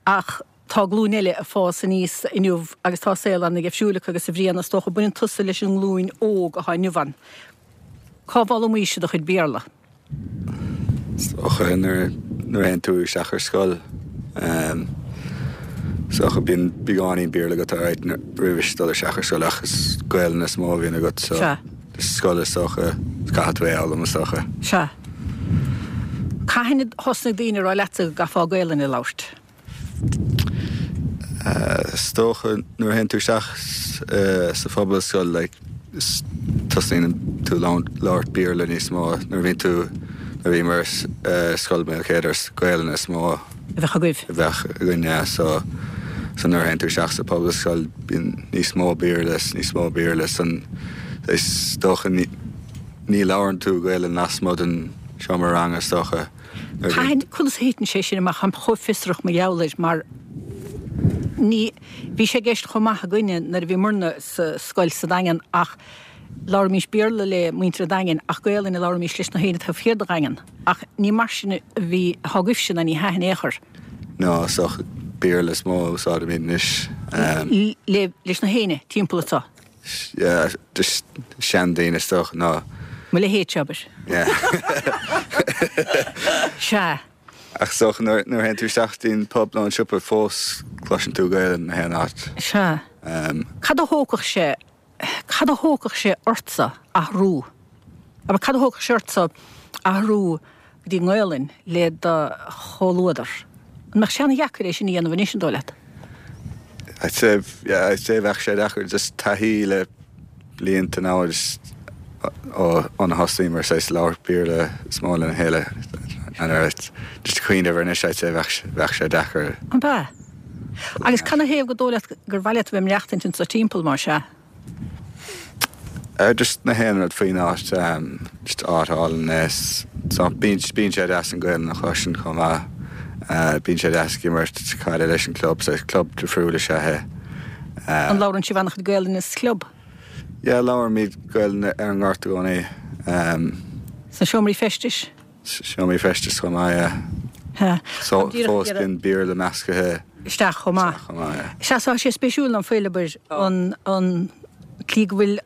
ach tá glúin eile ag fás aníos inniu agus tá saol ana-dhifriúil acu agus a Bhriain is dócha baineann tusa leis an nglúin óg atá inniu ann. Cá bhfoghlamaís do chuid Béarla? Is dócha nuair a théann tú isteach ar scoil, is dócha bíonn beagáinín Béarla agat alright roimhis dul isteach ar scoil ach is Gaelainn is mó a bhíonn agat so scoil is dócha caithfidh tú é a fhoghlaim is dócha. Sea. Cathain a thosnaigh daoine a rá leatsa go gcaithfeá Gaelainn a labhairt? Is dócha nuair a théann tú isteach sa phobalscoil like tosaíonn tú labhairt Béarla níos mó nuair a bhíonn tú nuair a bhíomar ar Scoil Maoilchéadair is Gaelainn is mó a bheadh agaibh. a bheadh againn yeah so so nuair a théann tú isteach sa phobalscoil bíonn níos mó Béarla is níos mó Béarla san is dócha ní ní labhrann tú Gaelainn lasmuigh den seomra ranga is dócha. Cathain, conas a thiteann sé sin amach? Táim chomh fiosrach mar gheall air mar ní, bhí sé i gceist chomh maith againne nuair a bhíomarna sa scoil sa Daingean ach labhraímís Béarla le muintir an Daingin ach Gaolainn a labhraímís leis na héinne taobh thiar de Dhaingean. Ach ní mar sin a bhí, atá agaibhse ná ní hea in aon chor. Ná, is dócha Béarla is mó a úsáidimid anois. Le, leis na héinne timpeall anseo. Yeah, just seandaoine is dócha ná. Mo leithéidse, abair. Yeah. Sea. Ach is dócha nuair a théann tú isteach dtí'n pub nó an siopa fós cloiseann tú Gaelainn na haon áit. Sea. Cad a thógfadh sé, cad a thógfadh sé ortsa athrú? Abair, cad a thógfadh sé ortsa athrú go dtí an nGaelainn le do chomhluadar? An mbeadh sé ana-dheacair é sin a dhéanamh anois, an dóigh leat? I'd say, yeah, I'd say bheadh sé deacair just taithí le blianta now just ó ó thosaíomar saghas labhairt Béarla is mó lena chéile and just cuimhneamh air anois I'd say bheadh bheadh sé deacair. An ea? Agus cad 'na thaobh gur dóigh leat gur mhaith leat a bheith ag maireachtaint anso timpeall, más ea? Just na haon rud faoin áit, just áit álainn é. So bíonn bíonn sé deas an Gaelainn a chloisint chomh maith. Bíonn sé deas ag imirt caide leis an club, so club difriúil is ea é. An labhrann sibh an-chuid Gaelainne sa chlub? Yeah, labhraímid Gaelainn ar an ngort i gcónaí. Sna seomraí feistis? Seomraí feistis chomh maith, yeah. Yeah. So fós bíonn Béarla meascaithe. Isteach chomh maith. Isteach chomh maith, yeah. Sea, tá sé spéisiúil ná fuil, abair, an, an tslí go bhfuil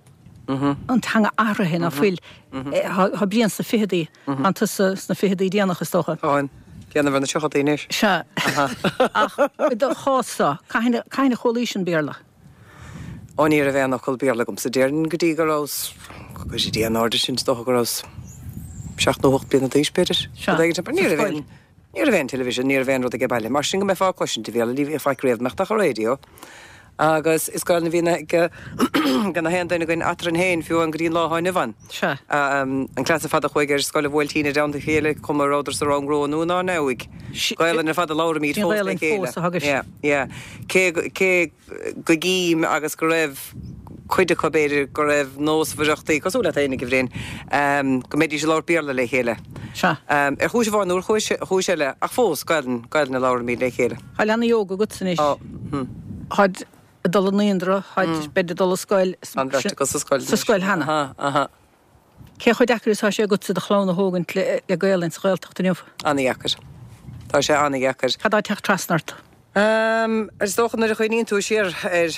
an teanga athraithe ná fuil. Tá Brian sna ficheadaí, tá tusa sna ficheadaí déanach is dócha. Táim. Déanamh ar na tríochadaí anois. Sea. Ach i do chás-sa, cathain, cathain a chualaís an Béarla? Ó ní raibh aon fhocal Béarla agamsa déarfainn go dtí go rabhas, go dtí Dia an airde sin, is dócha go rabhas seacht nó hocht bliana d'aois b'fhéidir. Sea, Rud éigin, sa ní raibh scoil. aon, ní raibh aon television, ní raibh aon rud age baile. Mar sin go mbeifeá ag cloisint an Bhéarla, ní bheadh faic riamh, mbeadh ach an raidió. Agus is Gaelainn a bhíonn ag ag na haon duine againn eadrainn féin, fiú amháin go dtí an lá atá inniu ann. Sea. An cleas ar fad a chuaigh ar scoil an Bhuailtín i dteannta a chéile, cuma an rabhadar sa rang romhainn nó inár ndiaidh. Gaelainn ar fad a labhraímid Sin fós le Gaelainn chéile. fós a thugaibh. Yeah, yeah. Cé, cé go gcím agus go raibh cuid acu, b'fhéidir, go raibh nósmhaireachtaí, cosúil leat fhéinig, a Bhriain, go mbeidís ag labhairt Béarla le chéile. Sea. Ar chúis amháin nó ar chúis, chúis eile, ach fós, Gaelainn, Gaelainn a labhraímid le chéile. Tá leanaí óga agatsa anois. Tá. Hm. Táid ag dul i naíonra, táid, b'fhéidir, ag dul i scoil. Tá an bheirt acu sa scoil Sa scoil cheana. Aha, aha. Cé chomh deacair is atá sé agatsa do chlann a thógaint le Gaelainn sa Ghaeltacht inniu? Ana-dheacair. Tá sé ana-dheacair. Cad tá ag teacht trasna ort? Is dócha nuair a chuimhníonn tú siar ar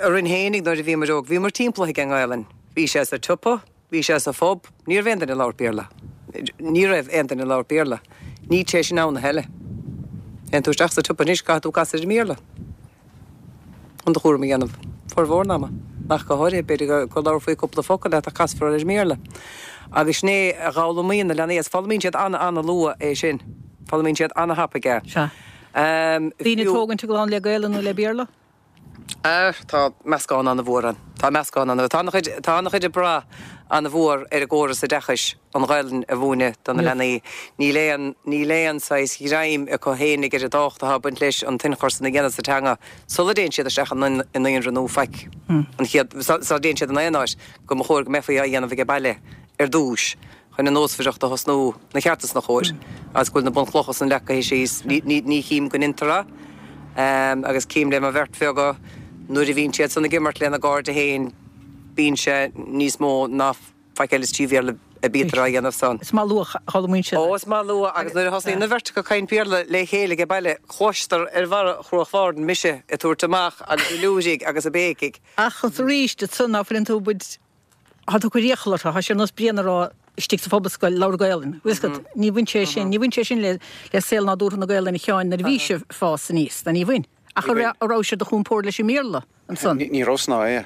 orainn fhéinig nuair a bhíomar óg, bhíomar timpeallaithe ag an nGaelainn. Bhí sé sa tsiopa, bhí sé sa phub, ní raibh aon duine ag labhairt Béarla. Ní raibh aon duine ag labhairt Béarla. Níl sé sin ann a thuilleadh. Téann tú isteach sa tsiopa anois, caithfidh tú casadh ar an mBéarla. chun do chúram a dhéanamh, formhór an ama, ach go háirithe, b'fhéidir go labharfaí cúpla focal leat ach casfar ar an mBéarla. Agus sin é a dh'fhoghlaimíonn na leanaí, agus foghlaimíonn siad an-an-luath é sin. Foghlaimíonn siad an-thapaidh é. Sea. Daoine ag tógaint a gclann le Gaelainn nó le Béarla? Tá meascán an-mhór ann. Tá meascán an-mhór. Tá an-chuid, tá an-chuid ag brath an-mhór ar an gcóras oideachais. an Ghaelainn a mhúineadh do na leanaí. Níl aon, níl aon saghas ghreim acu fhéinig ar an dtábhacht atá ag baint leis an t-ionchur san a dhéanamh sa teanga sula dtéann siad isteach i naíonra nó faic an chéad, sula dtéann siad in aon áit, go mba chóir go mbeifí á dhéanamh age baile ar dtúis chun an nósmhaireacht a thosnú 'na cheart is 'na chóir agus go bhfuil na bunchlocha san leagtha síos. Ní, ní, ní chím go ndeintear é agus cím le mo bheirt bheaga nuair a bhíonn siad san ag imirt lena gcairde féin bíonn sé níos mó ná faic eile is trí Bhéarla a bítear á dhéanamh san. Is maith luath a fhoghlaimíonn siad. Ó, is maith luath agus nuair a thosnaíonn an bheirt acu ag caint Béarla le chéile age baile, cloistear ar bharra Chruach Bhairn mise ag tabhairt amach agus ag liúirigh agus ag béicigh. Ach arís, ansan ná fuileann tú baint, tá tú ag cur iachall orthu, tá sé ar nós Brian a rá istigh sa phobalscoil, labhair Gaelainn. Bhfuil fhios agat, ní bhain sé sin, ní bhain sé sin le saol nádúrtha na Gaelainne a Sheáin nuair a bhí sibh ag fás aníos, ná ní bhain. Ach an raibh sé de chompord leis an mBéarla? ansan. Ní raibh san é.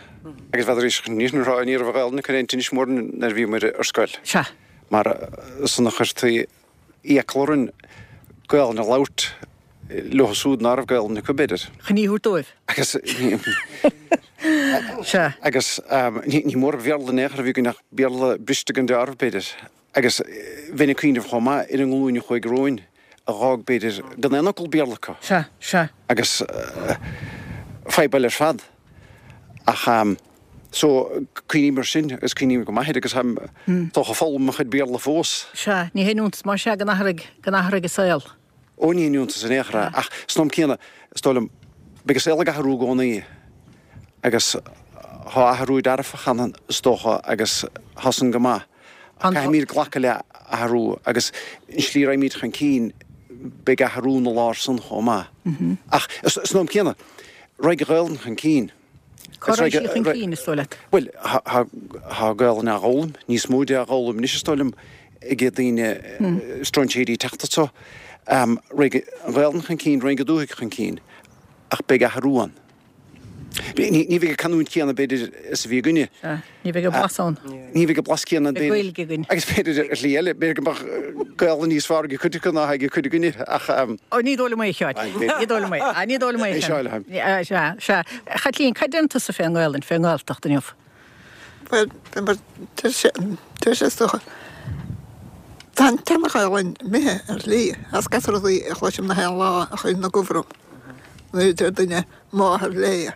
Agus bheadh ní raibh ní raibh an Ghaelainn ag cur aon tinnis mór nuair a bhíomar ar scoil. Sea. Mar san a chuirtí iachall orainn Gaelainn a labhairt leo siúd ná raibh Gaelainn acu, b'fhéidir. Chun í a thabhairt dóibh. Agus Sea. Agus ní mór Bhéarla in aon chor a bhí againn ach Béarla briste gan deáramh, b'fhéidir. Agus bheinn ag cuimhneamh chomh maith ar an nglúin a chuaigh romhainn, a dh'fhág, b'fhéidir, gan aon fhocal Béarla acu. Sea, sea. Agus fadhb eile ar fad. Ach, so, cuimhním air sin agus cuimhním go maith air agus táim dócha ag foghlaim mo chuid Béarla fós. Sea, ní haon iontas más ea go n-athraigh, go n-athraigh an saol. Ó, ní haon iontas in aon chor é. Ach san am céanna, is dóigh liom, beidh an saol ag athrú i gcónaí agus tá athrú dearfach ann, is dócha, agus tá san go maith. Ach caithfimid glacadh le athrú agus an slí a raghaimid chun cinn, beidh athrú ina lár san chomh maith. Ach san am céanna, raghaidh an Ghaelainn chun cinn. Cá raghaidh sí chun cinn, is dóigh leat? Bhuel, tá Gaelainn á dh'fhoghlaim, níos mó de á dh'fhoghlaim anois, is dóigh liom, ag daoine, stróinséirí ag teacht anso. Raghaidh an Ghaelainn chun cinn, raghaidh an dúthaigh chun cinn, ach beidh athrú ann. Ní bheidh an canúint chéanna, b'fhéidir, is a bhí againne. Sea, ní bheidh an blas ann. Ní bheidh an blas céanna ann, b'fhéidir. Beidh Gaeilge againn. Agus b'fhéidir ar shlí eile, b'fhéidir go mbeadh Gaelainn níos fearr ag cuid acu ná ag cuid againne, ach. Ó, ní dóigh liom é, a Sheáin. Ní dóigh liom é. Ní dóigh liom é, a Sheáin. Sea, sea. A Chaitlín, cad deireann tusa fén nGaelainn, fén nGaeltacht inniu? Bhuel, mar deir sé, deir sé is dócha, tá an tseana-Ghaelainn imithe ar shlí, as gach rudaí a chloisim na haon lá a chuireann i gcumhra orm, nuair a deir duine máthair léi.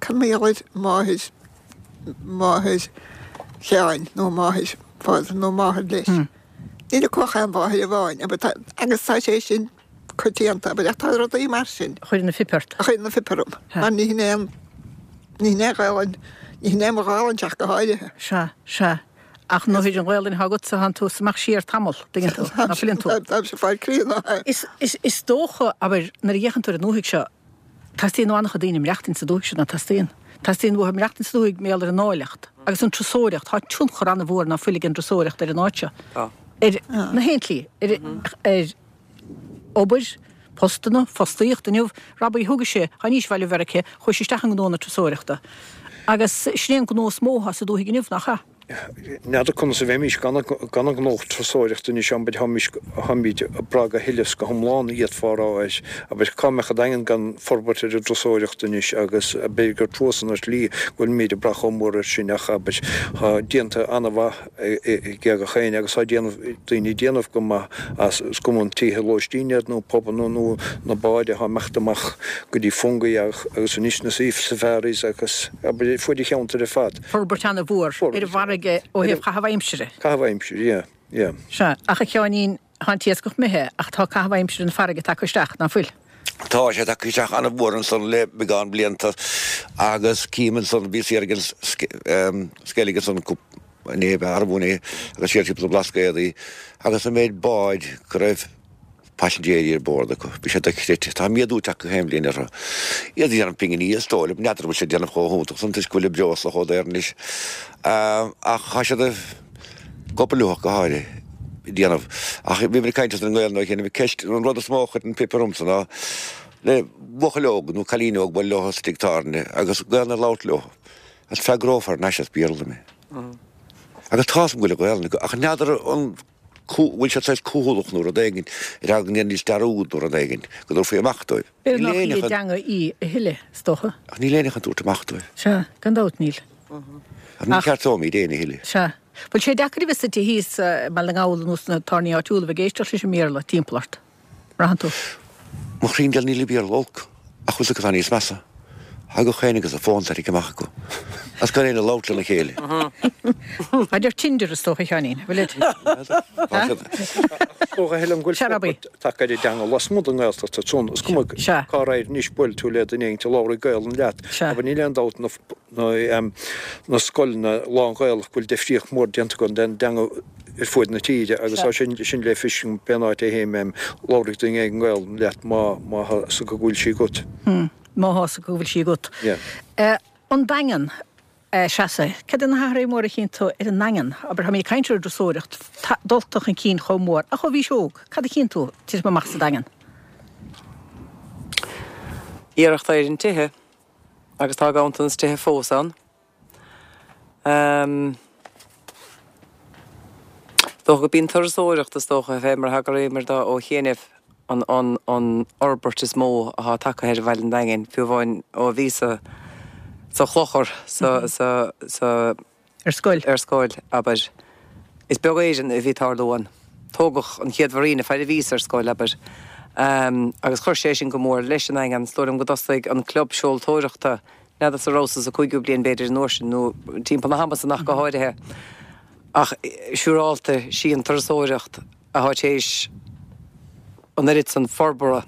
Cad mar gheall ar máthair, máthair Sheáin nó máthair Phádraig nó máthair leis? Níl acu ach aon mháthair amháin, abair, tá, agus tá sé sin coitianta, abair, ach tá rudaí mar sin. A chuireann an phip ort. A chuireann an phip orm, mar ní hin é an, ní hin é an Ghaelainn, ní hin é mo Ghaelainn ach go háirithe. Sea, sea. Ach nuair an Ghaelainn atá agatsa, tánn tú ag imeacht siar tamall, dtuigeann tú, ná fuileann tú. Táimse ag fáil críonna. Is, is, is dócha, abair, nuair a fhéachann tú ar an ndúthaigh seo, teastaíonn ó an-chuid daoine maireachtaint sa dúthaigh seo, ná teastaíonn? Teastaíonn uathu maireachtaint sa dúthaigh mar gheall ar an áilleacht agus an turasóireacht. Tá tionchar an-mhór ná fuil ag an dturasóireacht ar an áit seo. Tá. Ar na haon tslí, ar, ar obair, postanna, fostaíocht inniu. Robbie, thugais sé, tháinís abhaile ó Mheiriceá, chuaigh sé isteach i ngnó na turasóireachta. Agus sin é an gnó is mó atá sa dúthaigh inniu, nach ea? N'fheadar conas a bheimis gan an gnó turasóireachta anois, abair, tháimid ag brath go huile is go hiomlán, d'fhéadfá a rá air. Abair, cá mbeadh an Daingean gan forbairt ar an dturasóireacht anois agus b'fhéidir gur trua san ar shlí go bhfuilimid ag brath chomh mór air sin ach, abair, tá déanta an-mhaith ag gach éinne agus tá déanamh, daoine ag déanamh go maith as, is cuma an tithe lóistín iad nó pubanna nó na báid atá ag imeacht amach go dtí Fungie agus anois na safaris agus, abair, fuaid an cheantair ar fad. Forbairt an-mhór ar an bhfarraige ó thaobh caitheamh aimsire. Caitheamh aimsire, yeah, yeah. Sea, ach a Sheáinín, tá an t-iascach imithe ach tá caitheamh aimsire na farraige tagtha isteach, ná fuil? Tá sé tagtha isteach an-mhór ansan le beagán blianta agus cím ansan, bhíos thiar ag an Sceilg ansan inné, arbh inné, agus siar timpeall na Blascaodaí agus an méid báid go raibh paisinéirí ar bord acu, bhí sé dochreidte. Tá méadú tagtha chaon bhliain orthu. Iad ag déanamh pinginí is dóigh liom, n'fheadar an bhfuil siad ag déanamh chomh hiontach san toisc go bhfuil an breosla chomh daor anois. Ach tá siad ag obair leo ach go háirithe, ag déanamh. Ach bhí muid ag caint as an nGaelainn ó shin, bhí ceist, an rud is mó a chuireann pip ormsa ná le buachaill óg nó cailín óg bualadh leo sa tigh tábhairne agus Gaelainn a labhairt leo agus freagrófar anois as Béarla mé. Agus tá's agam go bhfuil an Ghaelainn acu ach n'fheadar an bhfuil siad saghas cúthalach nó rud éigin, ar eagla go ndéanfaidís dearúd nó rud éigin, go dtabharfaí amach dóibh. B'fhéidir nach í a dteanga í a thuilleadh, is dócha. Ach níl éinne chun tabhairt amach dóibh. Sea, gan dabht níl. Ach ní cheartóimid éinne a thuilleadh. Sea. Bhfuil sé deacair a bheith suite thíos i mBaile na nGall nó sna tábhairní áitiúla a bheith ag éisteacht leis an mBéarla timpeall ort? mbraitheann tú? Mo chroí geal níl an Béarla olc, ach bhfuil 's agat cad atá níos measa? Tá gach éinne agus a fón tarraingthe amach acu, agus gan éinne ag labhairt lena chéile. Táid ar Tinder is dócha, a Sheáinín, bhfuil it? Is dócha, Helen, go bhfuil forbairt tagtha ar an dteanga lasmuigh den nGaeltacht ansan. Is cuma cá raghair anois, buailfidh tú le duine éigin a labhróidh Gaelainn leat. Abair, níl aon dabht na scoileanna lán-Ghaelach go bhfuil difríocht mhór déanta acu don dteanga ar fuaid na tíre agus tá sin sin le feiscint pén áit a théim labhróidh duine éigin Gaelainn leat má má tá 's acu go bhfuil sí agat. Má tá 's acu go bhfuil sí agat. Yeah. An Daingean, Treasa, cad é na hathruithe móra a chíonn tú ar an nDaingean? Abair, táimid ag caint ar an dturasóireacht, dulta chun cinn chomh mór, ach ó bhís óg, cad a chíonn tú ag titim amach sa Daingean? Iarracht ar an tithe agus tá ganntanas tithe fós ann. Is dócha gurb í an turasóireacht is dócha, fé mar a thagraíomar dó ó chianaibh, an an fhorbairt is mó atá tagtha ar bhaile an Daingin, fiú amháin ó bhíos sa Chlochar, sa, sa, sa. Ar scoil. Ar scoil, abair. Is beag Éireann a bhí ag tarlú ann. Tógadh an chéad mharina fad a bhíos ar scoil, abair. Agus chuir sé sin go mór leis an nDaingean. Is dóigh liom go dtosaigh an club seoltóireachta, n'fheadarsa rabhas-sa sa cúigiú bliain b'fhéidir an uair sin, nó timpeall na hama san ach go háirithe. Ach siúrálta sí an turasóireacht atá tar éis an oiread san forbartha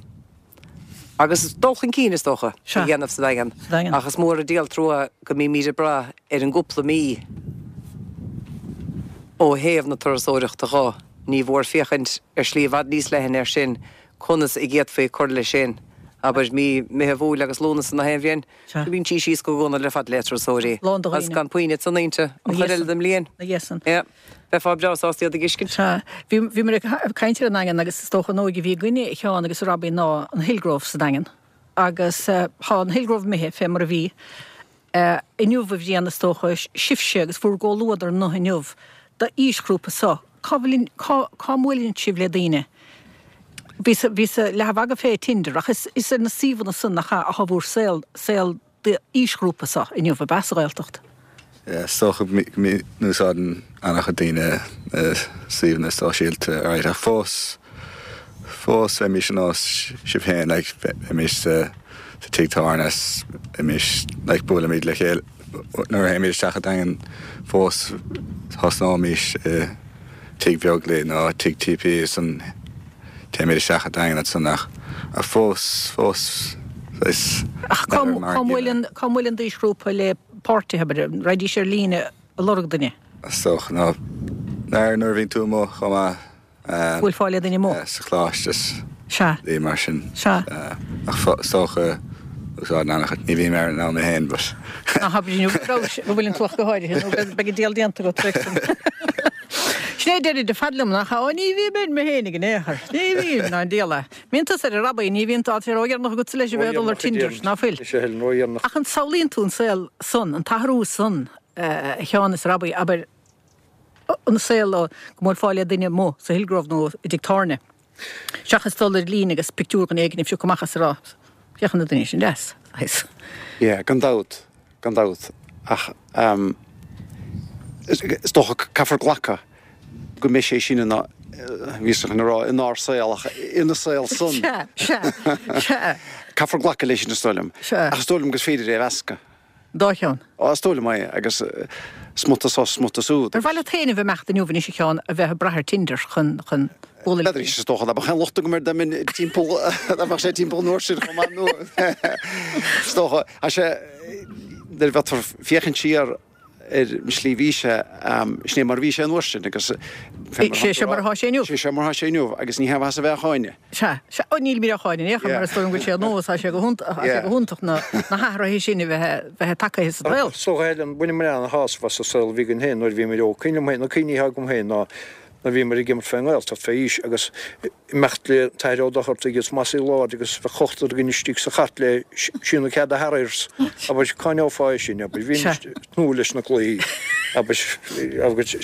agus dul chun cinn, is dócha, a dhéanamh sa Daingean. Ach is mór an díol trua go mbímid ag brath ar an gcúpla mí ó thaobh na turasóireachta dho. Ní mhór féachaint ar shlí i bhfad níos leithne air sin, conas a d'fhéadfaí cur leis sin. Abair mí Meitheamh, Iúil agus Lúnasa na haon bhliain. Sea. Bíonn sí síos go Dún ar fad le turasóirí. Lán de dhaoine. Agus gan puinn ansan inti, an chuid eile den mbliain. Na dheasan. Yeah. Bheifeá breá sásta iad a dh'fheiscint. Sea. Bhí, bhíomar ag caint ar an nDaingean agus is dócha an óige a bhí againne, a Sheáin agus a Robbie, ná an Hillgrove sa Daingean. Agus tá an Hillgrove imithe fé mar a bhí. Inniu, a Bhriain, is dócha, sibhse agus bhur gcomhluadar na inniu, d'aoisghrúpa so, cá bhfuil, cá, cá mbuaileann sibh le daoine? Bhíos, bhíos leath a mhagadh fé Tinder ach is, is ar na suíomhanna san nach ea atá bhur saol, saol d'aoisghrúpa so inniu, ab ea, sa Ghaeltacht? Yeah, is dócha go n-úsáideann an-chuid daoine na suíomhanna sóisialta, alright, ach fós, fós bheimis ar nós sibh féin, like, bheimis sa, sa tigh tábhairne is bheimis, like, buailimid le chéile, nuair a théimid isteach sa Daingean fós thosnóimis i Tigh Bheaglaoich nó Tigh TP ansan téimid isteach sa Daingean ansan ach fós, fós is Ach cá cá mbuaileann, cá mbuaileann d'aoisghrúpa le páirtithe, abair, an raghaidís ar líne ag lorg duine? Is dócha ná nuair a bhíonn tú amuigh chomh maith. Bhuailfeá le duine amuigh. Sa choláiste is Sea. rudaí mar sin. Sea. Ach is dócha úsáideann an-chuid, ní bhím ar an am mé féin but. Ná habair inniu go raibh, go bhfuileann tú ach go háirithe nó beidh an diabhal déanta agat freisin. Sin é a deirid ar fad liom, nach ea? Ó ní bhím air mé féinig in aon chor. Ní bhím, ná an diabhal é. Mbíonn tusa air a Robbie, ní bhíonn tá sé ródheireanach agatsa leis a bheith ag dul ar Tinder, ná fuil? Ach an samhlaíonn tú an saol san, an t-athrú san, a Sheáin is a Robbie, abair, an saol go mbuailfeá le duine amuigh sa Hillgrove nó i dtigh tábhairne, seachas dul ar líne agus pictiúr dhuine éigin a phiocadh amach is a rá, féach ar an duine sin deas, saghas. Yeah, gan dabht, gan dabht. Ach ehm, is dócha caithfear glacadh go mbeidh sé sin ina, bhíos chun a rá inár saol ach ina saol san. Sea, sea, sea. Caithfear glacadh leis sin is dóigh liom. Sea. Ach is dóigh liom gur féidir é a mheascadh. Dá cheann. Á, is dóigh liom é, agus smuta so, smuta siúd. Ar mhaith leat féin a bheith ag imeacht inniu anois a Sheáin, a bheith ag brath ar Tinder chun, chun bualadh le N'fheadar, is dócha dá mbeadh aon locht agam air dá mbeinn timpeall, dá mbeadh sé timpeall an uair sin chomh maith nó is dócha, tá sé, nuair a bheadh tú ag féachaint siar ar an slí a bhí sé, sin é mar a bhí sé an uair sin agus Sé seo mar atá sé inniu. Sé seo mar atá sé inniu agus ní hea mhaitheas a bheith á cháineadh. Sea, sea. Ó, nílimid á cháineadh in aon chor mar is dóigh liom go bhfuil sé nós, tá sé go hiontach, tá sé go hiontach na, na hathruithe sin a bheith, bheith tagtha sa tsaol. So Helen, bhaineamar ana-shásamh as an saol a bhí againn féin nuair a bhíomar óg. Cuimhin liom féin, na cuimhní atá agam féin ná nuair a bhíomar ag imirt fén nGaeltacht fé aois agus imeacht le an tAthair Ó Dochartaigh agus Mossy Lord agus bheadh ochtar againn istigh sa chairt le síneadh cead a Harriers. Abair, cá ngeofá é sin, abair, bhímis ag tnúth leis na cluichí, abair, agus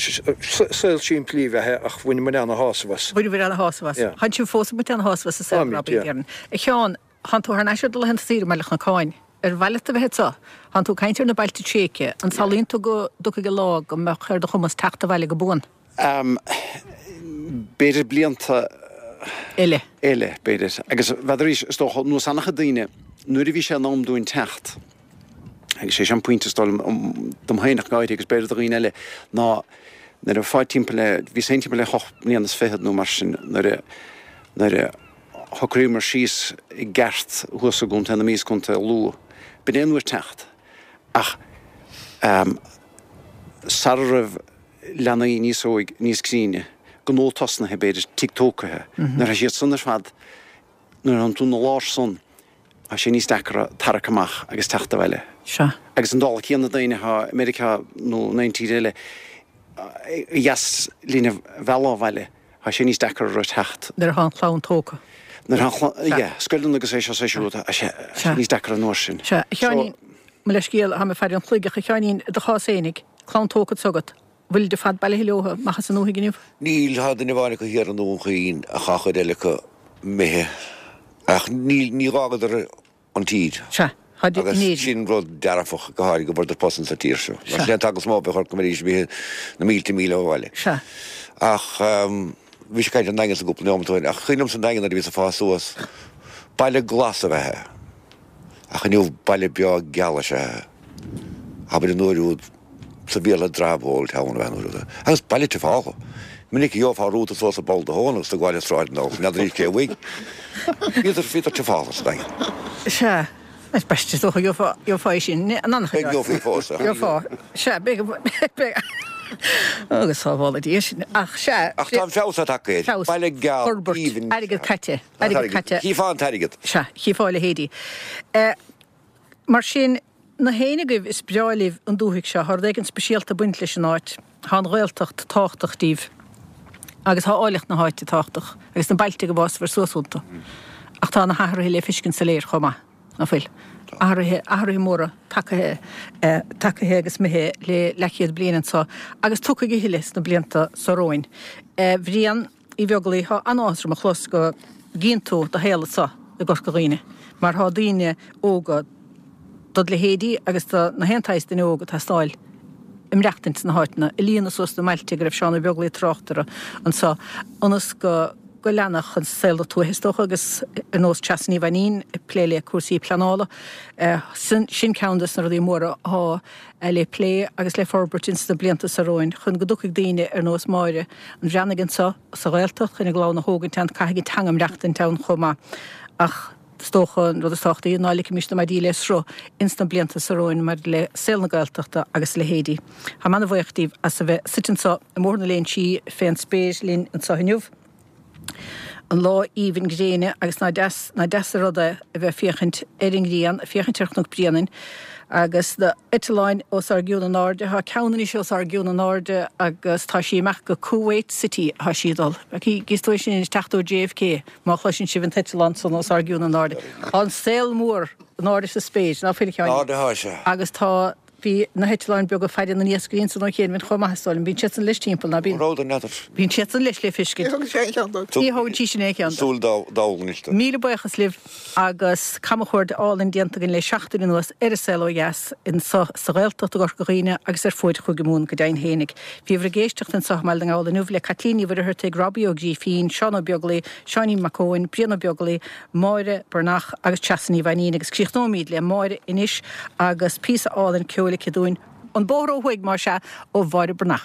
saol simplí ab ea é ach bhaineamar ana-shásamh as. Bhaineabhair ana-shásamh as. Yeah. Tánn sibh fós ag baint ana-shásamh as an saol, Táimid, Robbie, yeah. déarfainn. A Sheáin, thánn tú thar n-ais ar do laethanta saoire i mBaile Chnocáin. Ar mhaith leat a bheith anso? Thánn tú ag caint ar na bailte tréigthe. An samhlaíonn tú go dtiocfaidh an lá go mbeadh ar do chumas teacht abhaile go buan? B'fhéidir blianta eile. Eile, b'fhéidir. Agus bheadh arís, is dócha, nós an-chuid daoine, nuair a bhí sé in am dúinn teacht, agus sé sin an pointe is dóigh liom, dom féin ach go háirithe agus b'fhéidir do dhaoine eile, ná nuair a bheifeá timpeall le, bhíos féin timpeall le hocht mbliana is fichead nó mar sin nuair a, nuair a shocraíomar síos i gceart thuas i gContae na Mí is Contae Lú. B'in é an uair teacht. Ach sara raibh leanaí níos óige, níos críne, gnó tosnaithe, b'fhéidir, tigh tógtha, nuair atá siad san ar fad, nuair atánn tú ina lár san, tá sé níos deacra tarrac amach agus teacht abhaile. Sea. Agus an dála céanna daoine atá i Meiriceá nó in aon tír eile, ba dheas linn a mhealladh abhaile, tá sé níos deacra orthu teacht. Nuair atá an chlann tógtha. Nuair atá an chlann, yeah, scoileanna agus é seo is é siúd, tá sé níos deacra an uair sin. Sea. A Sheáinín, mo leithscéal, tá mé ag faire an chloig, ach a Sheáinín, i do chás fhéinig, clann tógtha anso agat, bhfuilid ar fad bailithe leo amach as an ndúthaigh inniu? Níl, tá duine amháin acu thiar i nDún Chaoin ach tá an chuid eile acu imithe. Ach níl, ní dh'fhágadar an tír. Sea, tá in Agus Éirinn. sin rud dearfach, go háirithe go bhfuaireadar post insa tír seo. Mar Sea. sin é an t-eagla is mó a bheadh orthu go mbeidís imithe na mílte míle ó bhaile. Sea. Ach bhí sé ag caint ar an nDaingean sa gcúpla neomat ó shin, ach cuimhin liomsa an Daingean nuair a bhíos ag fás suas, baile glas ab ea é. Ach inniu baile breá geal is ea é. Abair an uair úd sa Bhéarla drab old town ab ea an uair úd. Agus baile tiofálach. Minic a gheofá rúta suas i bpoll do thóin agus tú ag gabháil an tsráid anall, n'fheadar cé uaidh. Bhíodar, bhíodar tiofálach sa Daingean. Sea. Is b'aisteach is dócha gheofá, gheofá é sin in an-chuid Beidh, gheofaí fós, ach. Gheofá. Sea, beidh, beidh. Agus sábhála Dia sinn. Ach sea. Ach tá an feabhas tagtha air. Feabhas. Baile geal, Forbairt. aoibhinn. Airgead caite. Airgead caite. Chífeá an t-airgead. Sea, chífeá a leithéidí. Mar sin, na héinne agaibh is breá libh an dúthaigh seo, tá rud éigin speisialta ag baint leis an áit, tá an Ghaeltacht tábhachtach díbh agus tá áilleacht na háite tábhachtach agus na bailte go bhfásfar suas iontu. Ach tá na hathruithe le feiscint soiléir chomh maith, ná fuil? Athruithe, athruithe móra tagaithe, tagaithe agus imithe le leathchéad bliain anso agus tiocfaidh a thuilleadh sna blianta so romhainn. A Bhriain Uí Bheaglaoich, tá an-áthas orm a chlos go gcíonn tú do shaol anso i gCorca Dhuibhne mar tá daoine óga dod leithéidí agus do na haon tsaghas duine óg ag teastáil ag maireachtaint sna háiteanna, ag líonadh suas na mbailte go raibh Seán Ó Beaglaoich ag trácht orthu anso ionas go go leanfadh an saol na tuaithe is dócha agus ar nós Treasa Ní Mhainín ag plé le cúrsaí pleanála. Sin ceann des na rudaí móra atá le plé agus le forbairt ins na blianta so romhainn chun go dtiocfaidh daoine ar nós Máire an Bhreathnaigh anso sa Ghaeltacht chun a gclann a thógaint ann, caithfidh an teanga maireachtaint ann chomh maith. Ach is dócha an rud is tábhachtaí ná ligfimis na maidí le sruth ins na blianta so romhainn maidir le saol na Gaeltachta agus a leithéidí. Táim ana-bhuíoch díbh as a bheith suite anso i mBóthar na Léinsí fén spéir linn anso inniu. An lá aoibhinn gréine agus ná deas, ná deas an rud é a bheith ag féachaint ar an ngrian, ag féachaint ar Chnoc Bréanainn agus na heitleáin os ár gcionn in airde. Tá ceann anois os ár gcionn in airde agus tá sí amach go Kuwait City atá sí ag dul. Gíos tú é sin ag teacht ó JFK má chloiseann sibh an t-eitleán san os ár gcionn in airde. Tá an saol mór in airde sa spéir, ná fuil a Sheáin? In airde atá sé. Agus tá. Bhí na heitleáin beaga faire na n-iascairí ansan ó chianaibh chomh maith is dóigh liom. Bíonn siadsan leis timpeall, ná bíonn? Rud an n'fheadar. Bíonn siadsan leis le feiscint. Ní thugann sé aon cheann dóibh. Ní thugann sí sin aon cheann dóibh. Súil dall anois dó. Míle buíochas libh agus camchuaird álainn déanta againn le seachtain anuas ar an saol ó dheas anso sa Ghaeltacht i gCorca Dhuibhne agus ar fuaid Chúige Mumhan go deimhin fhéinig. Bhíobhair ag éisteacht anso i mBaile na nGall inniu le Caitlín Ní Mhuircheartaigh, Robbie Ó Grífín, Seán Ó Beaglaoi, Seáinín Mac Eoin, Brian Ó Beaglaoi, Máire Breathnach agus Treasa Ní Mhainín agus críochnóimid le Máire anois agus píosa álainn ceoil aici dúinn, An Bóthar Ó Thuaidh, más ea, ó Mháire Breathnach.